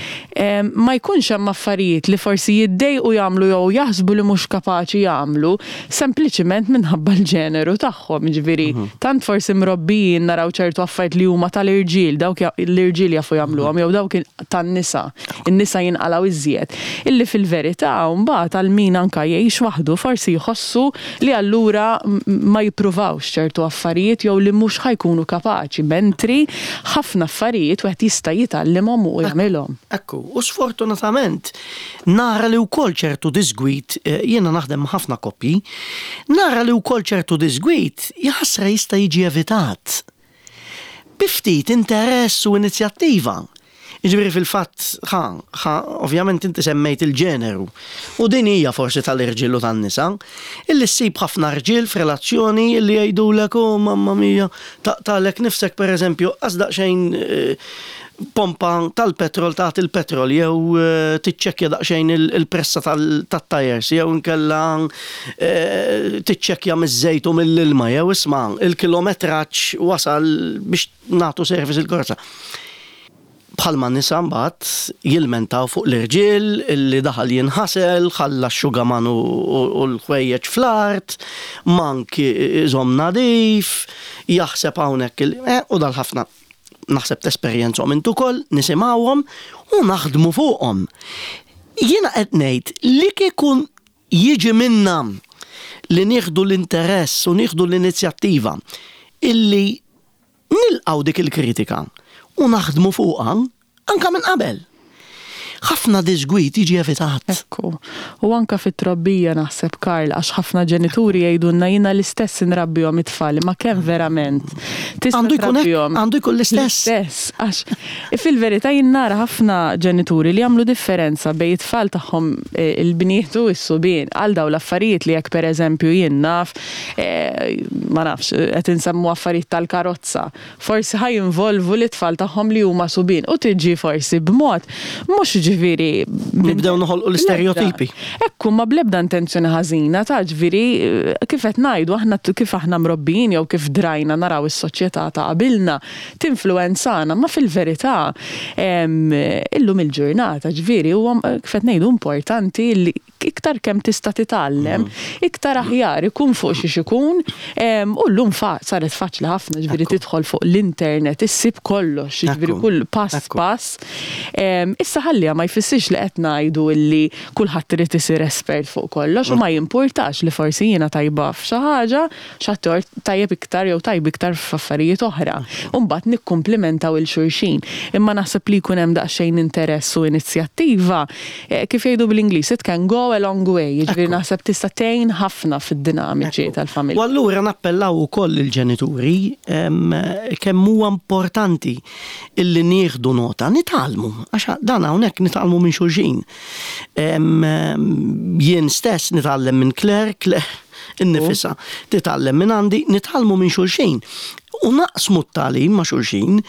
ma jkunx hemm affarijiet li forsi jiddejqu jagħmlu jew jaħsbu li mhux kapaċi jagħmlu sempliċiment minħabba l-ġeneru tagħhom. Jiġifieri tant forsi mrobbijin naraw ċertu affarijiet li huma tal-irġiel, dawk l-irġiel jafu jagħmluhom jew dawk tan-nisa, in-nisa jinqalgħu iżjed. Illi fil-verità mbagħad għal min anke jgħix waħdu forsi jħossu li allura ma jippruvawx ċertu affarijiet jew li mhux ħa jkunu kapaċi, mentri ħafna affarijiet wieħed jista' jitgħallimhom u jagħmilhom. Ekku, u sfortunatament nara li wkoll ċertu diżgwid, jiena naħdem ma' ħafna koppji, nara li wkoll ċertu diżgwid jaħasra jista' jiġi evitat bi ftit interess u inizjattiva. Jiġifieri fil-fatt, ħa, ħa, ovvjament inti semmejt il-ġeneru, u din hija forsi tal-irġiel u tan-nisa, illi ssib ħafna rġiel f'relazzjoni illi jgħidulek, oh mamma mia, taqtagħlek nifsek pereżempju, qas daqsxejn pompa tal-petrol tagħti l-petrol jew tiċċekkja daqsxejn il-pressa tat-tajers jew inkella tiċċekkja miż-żejt u mill-ilma jew isma' il-kilometraġġ wasal biex nagħtu service il-karozza. Bħalma nisa mbagħad jilmentaw fuq l-irġiel illi daħal jinħasel, ħalla x-xugaman u l-ħwejjeġ fl-art, mank iżomm nadif, jaħseb hawnhekk il u dal-ħafna naħseb tesperjenzhom int ukoll, nisimgħuhom u naħdmu fuqhom. Jiena qed ngħid li kieku jiġi minna li nieħdu l-interess u nieħdu l-inizjattiva illi Nilqgħu dik il-kritika u naħdmu fuqha anke minn qabel. Ħafna diżgwid jiġi evitat. Ekku. U anke fit-trobbija naħseb Karl għax ħafna ġenituri jgħidulna jiena l-istess inrabbihom it-tfal imma kemm verament tista' trabbihom. Għandu jkun l-istess. L-istess għax fil-verità jien nara ħafna ġenituri li jagħmlu differenza bejn it-tfal tagħhom il-bniet u s-subien għal dawn l-affarijiet li jekk pereżempju jien naf ma nafx, qed insemmu affarijiet tal-karozza, forsi ħa jinvolvu lit-tfal tagħhom li huma subien u tiġi forsi b'mod mhux ġifieri. Nibdew noħolqu l-istereotipi. Ekku, ma bl-ebda intenzjoni ħażina ta' ġifieri kif qed ngħidu aħna kif aħna mrobbijin jew kif drajna naraw is-soċjetà ta' qabilna tinfluwenzana, ma fil-verità illum il-ġurnata ġifieri huwa kif qed ngħidu importanti li Iktar kemm tista' titgħallem, iktar aħjar ikun fuq xiex ikun. U llum saret faċli ħafna, ġifieri tidħol fuq l-internet, issib kollox, ġifieri kull pass pass. Issa ħalliha ma jfissirx li qed ngħidu illi kulħadd irid isir espert fuq kollox u ma jimpurtax li forsi jiena tajba f'xi ħaġa, x'ħaddieħor tajjeb iktar jew tajb iktar f'affarijiet oħra. U mbagħad nikkumplimentaw 'il xulxin. Imma naħseb li jkun hemm daqsxejn interess u inizjattiva, kif jgħidu bl-Ingliż, it can go a a long way, jiġifieri naħseb tista' tgħin ħafna fid-dinamiċi tal-familja. U allura nappellaw ukoll lill-ġenituri kemm huwa importanti illi nieħdu nota, nitgħallmu, għax dan hawnhekk nitgħallmu minn xulxin. Jien stess nitgħallem minn Claire, Claire innifisha titgħallem minn għandi, nitgħallmu minn xulxin. U naqsmu t-tagħlim ma' xulxin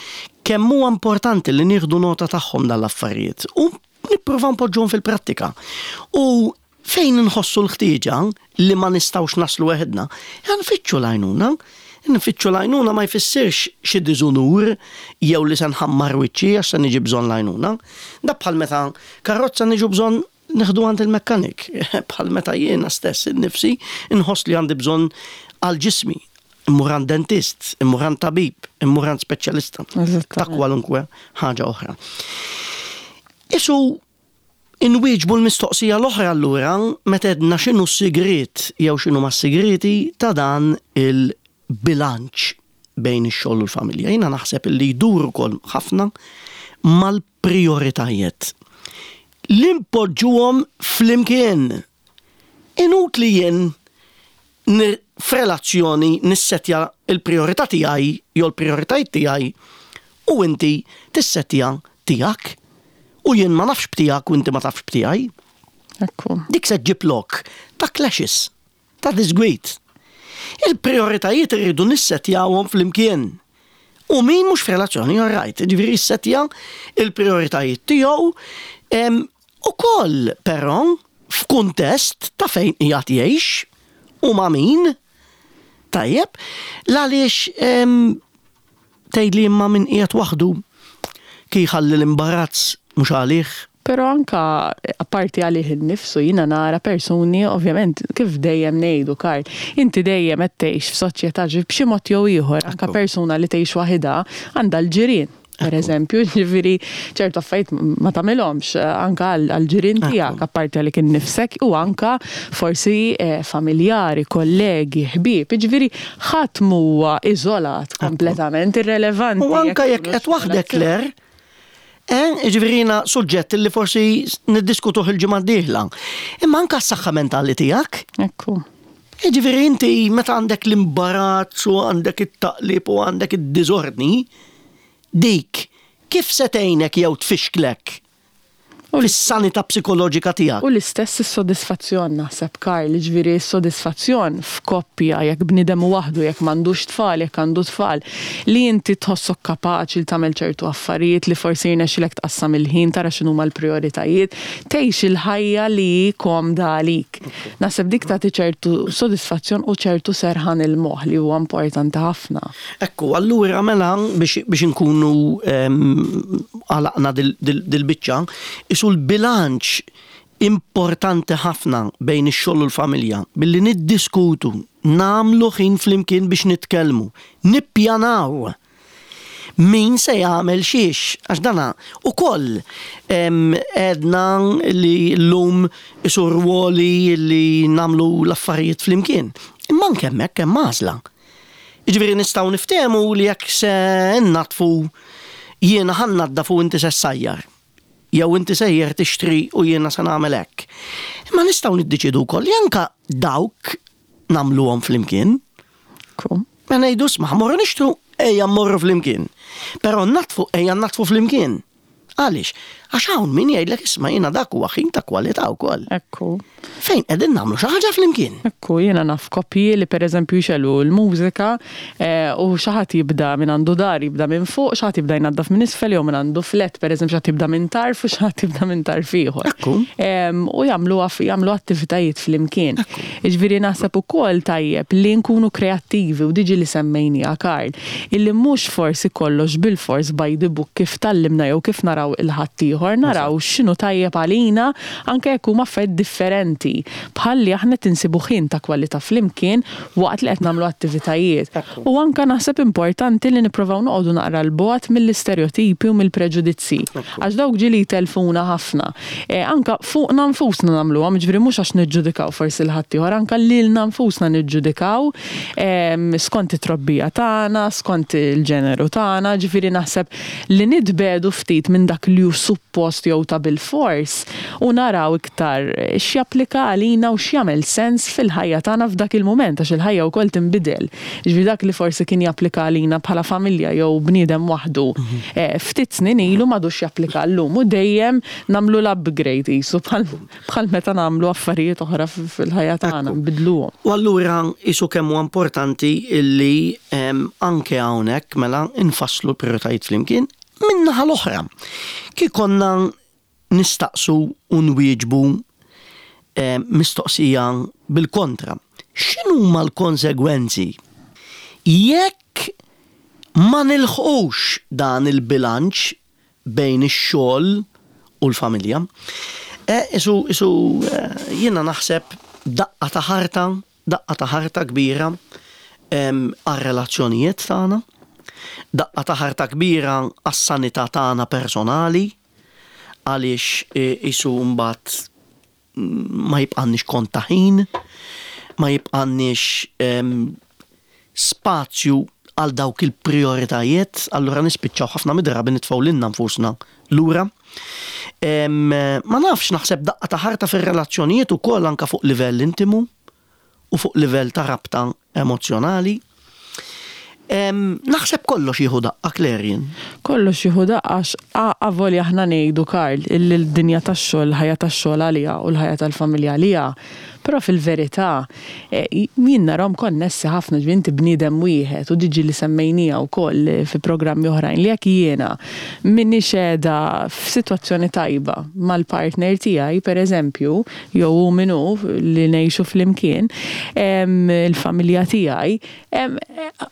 kemm huwa importanti li nieħdu nota tagħhom dan l-affarijiet u nippruvaw npoġġuhom fil-prattika. U fejn inħossu l-ħtieġa li ma nistgħux naslu weħidna, nfittxu l-għajnuna. Nfittxu l-għajnuna ma jfissirx xi diżunur jew li se nħammar wiċċi għax se niġi bżonn l-għajnuna. Da bħal meta karozza niġu bżonn neħdu għand il-mekkanik, bħal meta jiena stess innifsi nħoss li għandi bżonn għal ġismi, immur għand dentist, immur għand tabib, immur għand speċjalista ta' kwalunkwe ħaġa oħra. Isu inwieġbu l-mistoqsija l-oħra allura meta għedna x'inhu s-sigriet jew x'inhuma s-sigrieti ta' dan il-bilanċ bejn ix-xogħol u l-familja. Jiena naħseb li jdur ukoll ħafna mal-prijoritajiet. Li npoġġuhom flimkien. Inutli jien f'relazzjoni nissettja l-prijorità tiegħi jew l-prijoritajiet tiegħi u inti tissettja tiegħek u jien ma nafx b'tiegħek u inti ma tafx b'tiegħi. Ekku. Dik se ġġib lok ta' clashes, ta' diżgwid. Il-prijoritajiet irridu nissettjawhom flimkien. U min mhux f'relazzjoni, all right, jiġifieri jissettja l-prijoritajiet tiegħu ukoll però f'kuntest ta' fejn qiegħed jgħix u ma' min. Tajjeb, l-għaliex tgħidli imma min qiegħed waħdu kif jħalli l-imbarazz mhux għalih. Però anka apparti għalih innifsu jiena nara persuni ovvjament kif dejjem ngħidu Karl, inti dejjem qed tgħix f'soċjetà b'xi mod jew ieħor anka persuna li tgħix waħidha għandha l-ġirien. Per eżempju, ġifieri ċertu affarijiet ma tagħmilhomx anka għall-ġirien tiegħek apparti għalik innifsek u anka forsi familjari, kollegi, ħbieb. Ġifieri ħadd m'huwa iżolat kompletament irrelevanti. U anka jekk qed waħdek Claire, Ġifieri jiena suġġett li forsi niddiskutuh il-ġimgħa d-dieħla. Imma anka s-saħħa mentali tiegħek. Ekku. Ġifieri inti meta għandek l-imbarazz u għandek it-taqlib u għandek id-diżordni, dik kif se tgħinek jew tfixklek fis-sanità psikoloġika tiegħek? U l-istess is-sodisfazzjon naħseb Karl, ġifieri s-sodisfazzjon f'koppja jekk bniedem waħdu, jekk m'għandux tfal, jekk għandu tfal, li inti tħossok kapaċi li tagħmel ċertu affarijiet li forsi jirnexxilek tqassam il-ħin, tara x'inhuma l-prijoritajiet, tgħix il-ħajja li hi komda għalik. Naħseb dik tagħti ċertu sodisfazzjon u ċertu serħan il-moħħ li huwa importanti ħafna. Ekku, allura mela biex inkunu għalaqna dil-biċċa, isu l-bilanċ importanti ħafna bejn ix-xogħol u l-familja billi niddiskutu, nagħmlu ħin flimkien biex nitkellmu, nippjanaw min se jagħmel xiex, għax dana ukoll għedna li llum isu rwoli li nagħmlu l-affarijiet flimkien. Imma anke hemmhekk hemm għażla. Jiġifieri nistgħu niftehmu li jekk se nnaddfu jiena ħa nnaddaf u inti se ssajjar. Jew inti sejjer tixtri u jiena se nagħmel hekk. Imma nistgħu niddeċiedu wkoll li anke dawk nagħmluhom flimkien. Ma ngħidu isma' ħa mmorru nixtru, ejja mmorru flimkien. Però nnaddfu, ejja nnaddfu flimkien. Għaliex? Għax hawn min jgħidlek isma' jiena dak huwa ħin ta' kwalità wkoll. Ekku. Fejn qegħdin nagħmlu xi ħaġa flimkien. Ekku, jiena naf koppji li pereżempju jxegħlu l-mużika u xi ħadd jibda minn għandu dar jibda minn fuq, xi ħadd jibda jnaddaf minn isfel jew minn għandu flat pereżempju xi ħadd jibda minn tarf u xi ħadd jibda minn tarf ieħor. Ekku. U jagħmlu jagħmlu attivitajiet flimkien. Jiġifieri naħseb ukoll tajjeb li nkunu kreattivi u diġi li semmejniha Karl, illi mhux forsi kollox bilfors by the book kif tgħallimna jew kif naraw il-ħaddieħor, naraw x'inhu tajjeb għalina anke jekk huma affarijiet differenti, bħal li aħna qed insibu ħin ta' kwalità flimkien waqt li qed nagħmlu attivitajiet. U anke naħseb importanti li nipprovaw noqogħdu naqra 'l bogħod mill-istereotipi u mill-preġudizzji. Għax dawk ġieli jtellfuna ħafna. Anke fuqna nfusna nagħmluhom, jiġifieri mhux għax niġġudikaw forsi 'l ħaddieħor, anke lilna nfusna niġġudikaw skont it-trobbija tagħna, skont il-ġeneru tagħna, ġifieri naħseb li nitbiegħdu ftit minn dak li hu suppost. suppost jew ta' bilfors u naraw iktar x'japplika għalina u x'jagħmel sens fil-ħajja tagħna f'dak il-mument għax il-ħajja wkoll tinbidel. Jiġifieri dak li forsi kien japplika għalina bħala familja jew bniedem waħdu ftit snin ilu m'għadux japplika llum u dejjem nagħmlu l-upgrade qisu bħal meta nagħmlu affarijiet oħra fil-ħajja tagħna, nbiddluhom. U allura qisu kemm huwa importanti illi anke hawnhekk mela nfasslu l-prijoritajiet flimkien. Min-naħa l-oħra, kif konna nistaqsu u nwieġbu mistoqsija bil-kontra, x'inhuma l-konsegwenzi jekk ma nilħqux dan il-bilanċ bejn ix-xogħol u l-familja? Isu, isu jiena naħseb daqqa ta' ħarta, daqqa ta' ħarta kbira għar-relazzjonijiet tagħna, daqqa ta' ħarta kbira għas-sanità tagħna personali, għaliex qisu mbagħad ma jibqgħalniex kont ta' ħin, ma jibqgħalniex spazju għal dawk il-prijoritajiet, allura nispiċċaw ħafna mid-drabi nitfgħu lilna nfusna lura. Ma nafx, naħseb daqqa ta' ħarta fir-relazzjonijiet ukoll anke fuq livell intimu u fuq livell ta' rabta emozzjonali. Naħseb kollox jieħu daqqa, Claire, jien. Kollox jieħu daqqa għax avolja aħna ngħidu, Karl, illi l-dinja tax-xogħol, il-ħajja tax-xogħol għaliha u l-ħajja tal-familja għaliha, però fil-verità jien narahom konnessi ħafna, ġifieri inti bniedem wieħed u diġi li semmejniha wkoll fi programmi oħrajn li jekk jiena m'iniex qiegħda f'sitwazzjoni tajba mal-partner tiegħi, pereżempju, jew hu min hu li ngħixu flimkien, il-familja tiegħi,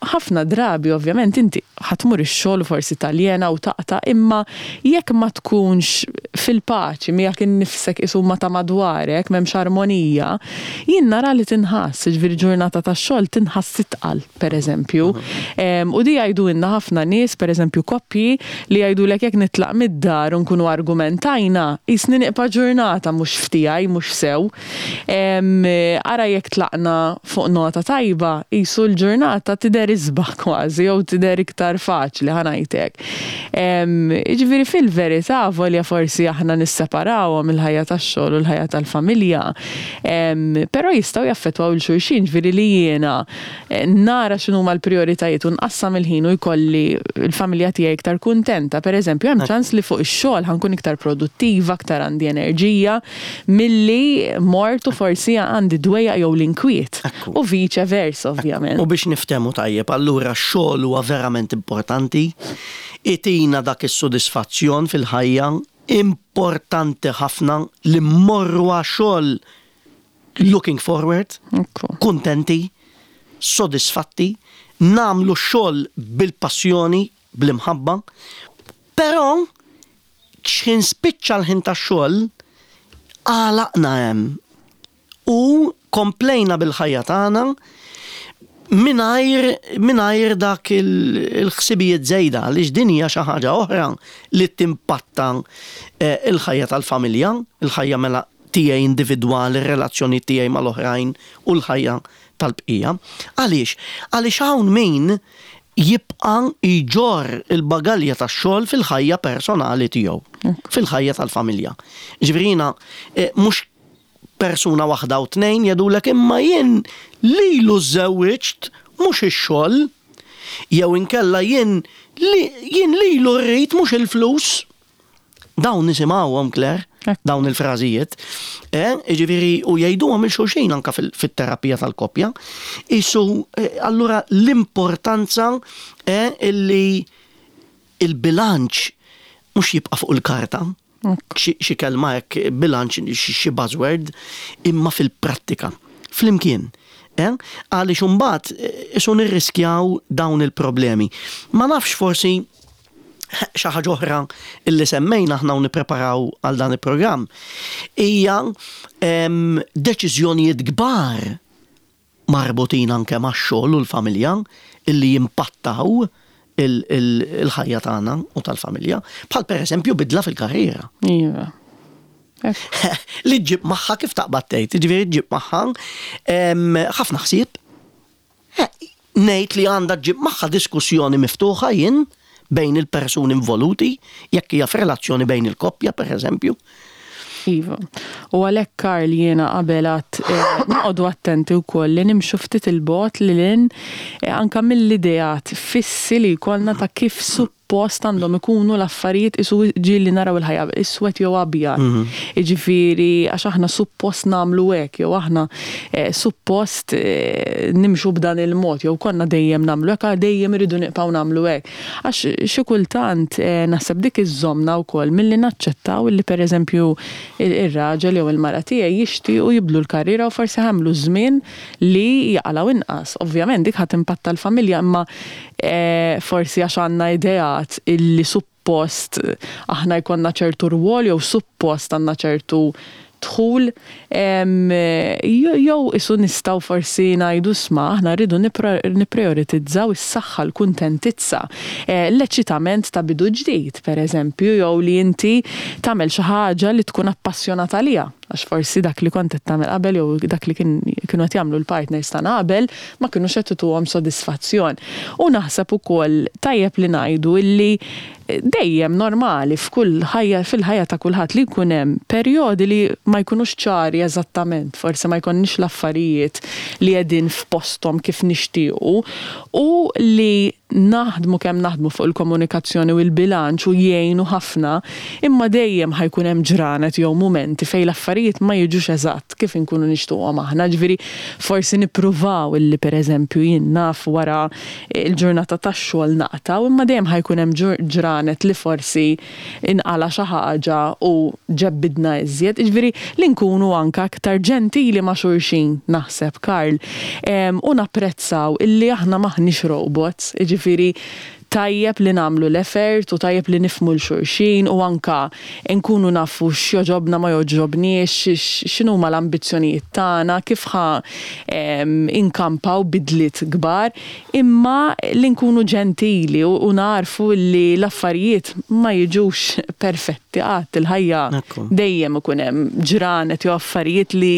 Ħafna drabi ovvjament inti ħa tmur ix-xogħol u forsi taljena u taqta' imma jekk ma tkunx fil-paċi miegħek innifsek qisu ma' ta' madwarek m'hemmx armonija, jien nara li tinħass, jiġifieri ġurnata ta' xogħol tinħass itqal pereżempju. U di jgħidulna ħafna nies, pereżempju koppji, li jgħidulek jekk nitlaq mid-dar u nkunu argumentajna, qisni nieqpa' ġurnata mhux f'tiegħi, mhux sew. Ara jekk tlaqna fuq nota tajba, qisu l-ġurnata tidher isbaħ kważi jew tidher iktar faċli ħa ngħid hekk. Jiġifieri fil-verità avolja forsi aħna nisseparawhom il-ħajja tax-xogħol u l-ħajja tal-familja, però jistgħu jaffettwaw 'il xulxin, jiġifieri li jiena nara x'inhuma l-prijoritajiet u nqassam il-ħin u jkolli l-familja tiegħi iktar kuntenta, pereżempju, hemm ċans li fuq ix-xogħol ħa nkun iktar produttiva, iktar għandi enerġija milli mort u forsi għandi d-dwejjaq jew l-inkwiet. U viċe versa, ovvjament. U biex niftehmu tajjeb, allura x-xogħol huwa verament importanti, itina dak is-sodisfazzjon fil-ħajja, importanti ħafna li mmorru għax-xogħol looking forward, kuntenti, sodisfatti, nagħmlu x-xogħol bil-passjoni, bl-imħabba, però x'ħin spiċċa l-ħin tax-xogħol għalaqna hemm u komplejna bil-ħajja tagħna mingħajr mingħajr dak il-ħsibijiet żejda għaliex din hija xi ħaġa oħra li timpatta l-ħajja tal-familja, il-ħajja mela tiegħi individwali, ir-relazzjonijiet tiegħi mal-oħrajn u l-ħajja tal-bqija. Għaliex? Għaliex hawn min jibqa' jġorr il-bagalja tax-xogħol fil-ħajja personali tiegħu, fil-ħajja tal-familja. Jiġifieri jiena mhux persuna waħda u tnejn jgħidulek imma jien lilu żżewwiġt mhux ix-xogħol jew inkella jien jien lilu rrid mhux il-flus. Dawn nisimgħuhom Claire, dawn il-frażijiet. Eh, jiġifieri u jgħiduhom il xulxin anke fit-terapija tal-koppja. Isu eh, allura l-importanza eh, illi il-bilanċ mhux jibqa' fuq il-karta, xi kelma hekk bilanċ xi buzzword, imma fil-prattika. Flimkien. Eh? Għaliex imbagħad isu nirriskjaw dawn il-problemi. Ma nafx forsi xi ħaġa oħra illi semmejna aħna u nippreparaw għal dan il-programm hija deċiżjonijiet kbar marbutin anke max-xogħol u l-familja illi jimpattaw il-ħajja tagħna u tal-familja, bħal pereżempju bidla fil-karriera. Iva. Li ġġib magħha kif taqbad tgħid, jiġifieri ġġib magħha ħafna ħsieb. Ngħid li għandha ġġib magħha diskussjoni miftuħa jien. bejn il-persuni involuti, jekk hija f'relazzjoni bejn il-koppja, per eżempju. Iva. U għalhekk Karl jiena qabel għedt noqogħdu attenti wkoll li nimxu ftit 'il bogħod lil hinn anke mill-ideat fissi li jkollna ta' kif suppost għandhom ikunu l-affarijiet qisu ġieli naraw il-ħajja iswed jew abjad. Jiġifieri għax aħna suppost nagħmlu hekk jew aħna suppost nimxu b'dan il-mod jew konna dejjem nagħmlu hekk dejjem irridu nibqgħu nagħmlu hekk. Għax xi kultant naħseb dik iżżommna wkoll milli naċċettaw illi pereżempju ir-raġel jew il-mara tiegħi jixtiequ jibdlu l-karriera u forsi ħa jagħmlu żmien li jaqalgħu inqas. Ovvjament dik ħa timpatta l-familja imma forsi għax għandna ideat illi suppost aħna jkollna ċertu rwol jew suppost għandna ċertu dħul jew qisu nistgħu forsi ngħidu isma' aħna rridu nipprijoritizzaw is-saħħa, l-kuntentizza, l-eċitament ta' bidu ġdid, pereżempju, jew li inti tagħmel xi ħaġa li tkun appassjonat għaliha, għax forsi dak li kont qed tagħmel qabel jew dak li kienu qed jagħmlu l-partners tagħna qabel ma kinux qed ituhom sodisfazzjon. U naħseb ukoll tajjeb li ngħidu illi Dejjem normali f'kull ħajja, fil-ħajja ta' kulħadd li jkun hemm perjodi li ma jkunux ċari eżattament, forsi ma jkollniex l-affarijiet li qegħdin f'posthom kif nixtiequ u li naħdmu kemm naħdmu fuq il-komunikazzjoni u l-bilanċ u jgħinu ħafna, imma dejjem ħa jkun hemm ġranet jew mumenti fejn l-affarijiet ma jiġux eżatt kif inkunu nixtuqhom aħna. Ġifieri forsi nippruvaw illi pereżempju jien naf wara il-ġurnata tax-xogħol naqtgħu, imma dejjem ħa jkun hemm ġranet li forsi inqala' xi ħaġa u ġebbidna iżjed. Jiġifieri li nkunu anke aktar ġentili ma' xulxin naħseb, Karl, u napprezzaw illi aħna m'aħniex robots, jiġifieri tajjeb li nagħmlu l-effort u tajjeb li nifhmu 'l xulxin u anke nkunu nafu x'jogħġobna ma jogħġobniex, x'inhuma l-ambizzjonijiet tagħna, kif ħa inkampaw bidliet kbar, imma li nkunu ġentili u nagħrfu li l-affarijiet ma jiġux perfetti qatt, il-ħajja dejjem ikun hemm ġranet jew affarijiet li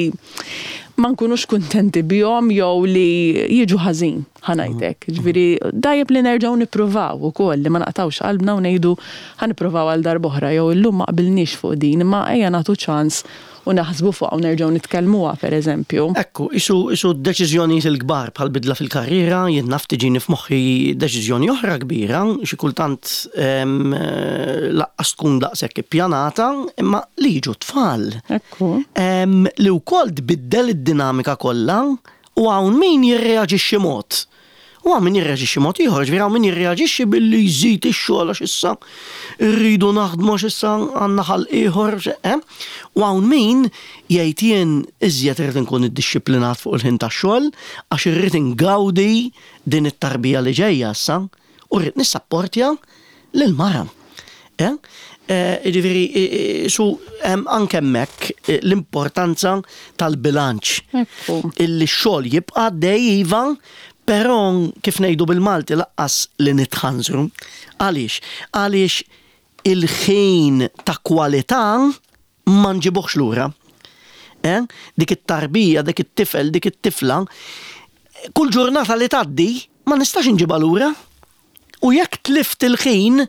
ma nkunux kuntenti bihom jew li jiġu ħażin, ħa ngħid hekk. Jiġifieri tajjeb li nerġgħu nippruvaw ukoll li ma naqtgħux qalbna u ngħidu ħa nippruvaw għal darb'oħra jew illum ma qbilniex fuq din imma ejja nagħtu ċans u naħsbu fuqha u nerġgħu nitkellmuha, pereżempju. Ekku, qisu qisu d-deċiżjonijiet il-kbar bħal bidla fil-karriera, jien naf tiġini f'moħħi deċiżjoni oħra kbira, xi kultant laqqas tkun daqshekk ippjanata, imma li jiġu t-tfal. Ekku. Li wkoll tbiddel id-dinamika kollha u hawn min jirreaġixxi mod. U hawn min jirreaġixxi mod ieħor, ġifieri hawn min jirreaġixxi billi jżid ix-xogħol għax issa rridu naħdmu għax issa għandna ħalq ieħor, eh? U hawn min jgħid jien iżjed irrid inkun iddixxiplinat fuq il-ħin tax-xogħol għax irrid ingawdi din it-tarbija li ġejja issa u rrid nissapportja lill-mara. Eh? Eh, jiġifieri su hemm anke hemmhekk eh, l-importanza tal-bilanċ. Illi x-xogħol jibqa' għaddej iva, però kif ngħidu bil-Malti laqqas li nitħanżru. Għaliex? Għaliex il-ħin ta' kwalità ma nġibuhx lura. Eh? Dik it-tarbija, dik it-tifel, dik it-tifla, kull ġurnata li tgħaddi ma nistax inġibha lura. U jekk tlift il-ħin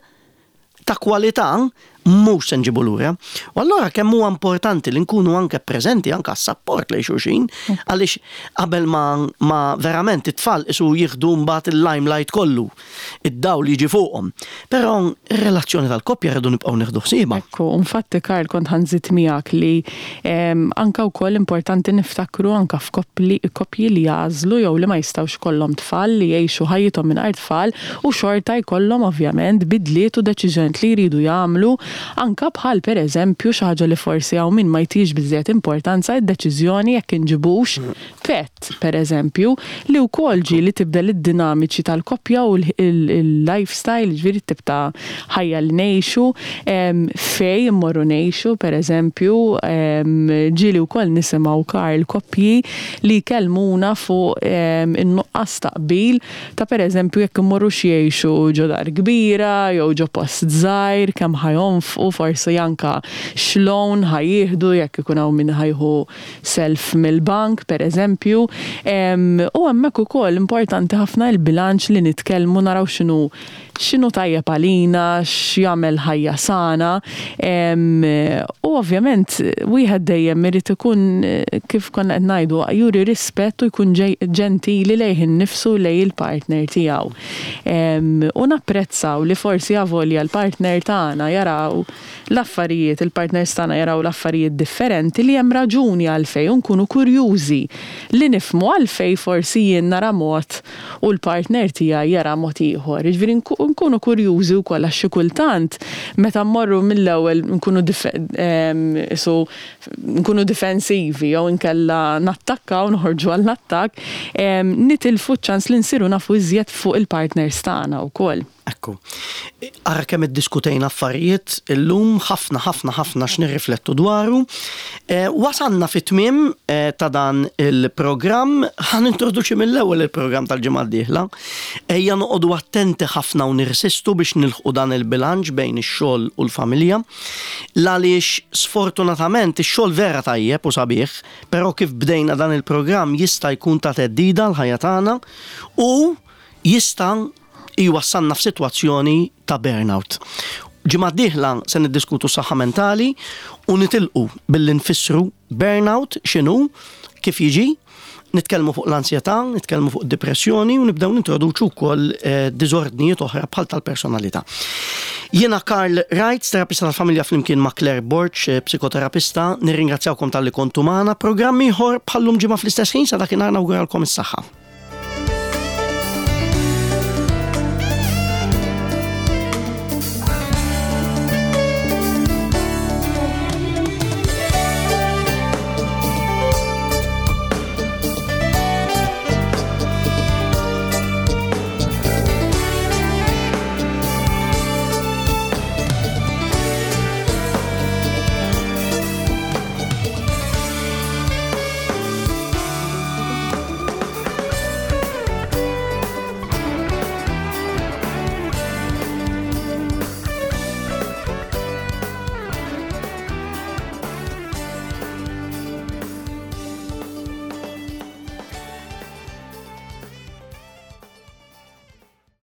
ta' kwalità, mhux se nġibu lura. U allura kemm huwa importanti li nkunu anke preżenti anke għas-sapport lejn xulxin, għaliex qabel ma, ma verament it-tfal isu jieħdu mbagħad il-limelight kollu, id-dawl jiġi fuqhom. Però ir-relazzjoni tal-koppja rridu nibqgħu nieħdu ħsiebha. Ekku, infatti Karl kont ħa nżid miegħek li anke wkoll importanti niftakru anke f'koppli koppji li jagħżlu jew li ma jistgħux ikollhom tfal li jgħixu ħajjithom mingħajr tfal u xorta jkollhom ovvjament bidliet u deċiżjonijiet li jridu jagħmlu anke bħal pereżempju xi ħaġa li forsi hawn min ma jtihiex biżżejjed importanza id-deċiżjoni jekk inġibux pet pereżempju li wkoll ġieli tibdel id-dinamiċi tal-koppja u l-lifestyle jiġifieri t-tip ta' ħajja li ngħixu, fejn immorru ngħixu pereżempju ġieli wkoll nisimgħu Karl koppji li jkellmuna fuq in-nuqqas ta' qbil ta' pereżempju jekk immorrux jgħixu ġo dar kbira jew ġo post żgħir, kemm ħa jonfqu, forsi anke x'loan ħa jieħdu jekk ikun hawn min ħa jieħu self mill-bank pereżempju. U hemmhekk ukoll importanti ħafna il-bilanċ li nitkellmu naraw x'inhu. x'inhu tajjeb għalina, x'jagħmel ħajja sana. U ovvjament wieħed dejjem irid ikun kif konna qed ngħidu juri rispett u jkun ġentili lejh innifsu u lejn il-partner tiegħu. U napprezzaw li forsi avolja l-partner tagħna jaraw l-affarijiet, il-partners tagħna jaraw l-affarijiet differenti li hemm raġuni għalfejn u nkunu kurjużi li nifhmu għalfejn forsi jien nara mod u l-partner tiegħi jara mod ieħor. Jiġifieri nkunu kurjużi wkoll għax xi kultant meta mmorru mill-ewwel nkunu isu nkunu difensivi jew inkella nattakkaw, noħorġu għall-attakk, nitilfu ċ-ċans li nsiru nafu iżjed fuq il-partners tagħna wkoll. Ekku. Ara kemm iddiskutejna affarijiet illum, ħafna ħafna ħafna x'nirriflettu dwaru. Eh, wasalna fit-tmiem eh, ta' dan il-programm, ħa nintroduċi mill-ewwel il-programm tal-ġimgħa d-dieħla. Ejja noqogħdu attenti ħafna u nirsistu biex nilħqu dan il-bilanċ bejn ix-xogħol u l-familja. L-għaliex sfortunatament ix-xogħol vera tajjeb u sabiħ, però kif bdejna dan il-programm jista' jkun ta' theddida l-ħajja tagħna u jista' jwassalna f'sitwazzjoni ta' burnout. Ġimgħa d-dieħla se niddiskutu s-saħħa mentali u nitilqu billi nfissru burnout x'inhu, kif jiġi, nitkellmu fuq l-ansjetà, nitkellmu fuq depressjoni u nibdew nintroduċu wkoll eh, diżordnijiet oħra bħal tal-personalità. Jiena Karl Wright, terapista tal-familja flimkien ma' Claire Borg, eh, psikoterapista, nirringrazzjawkom talli kontu magħna. Programm ieħor bħallum ġimgħa fl-istess ħin sa dakinhar nawguralkom is-saħħa.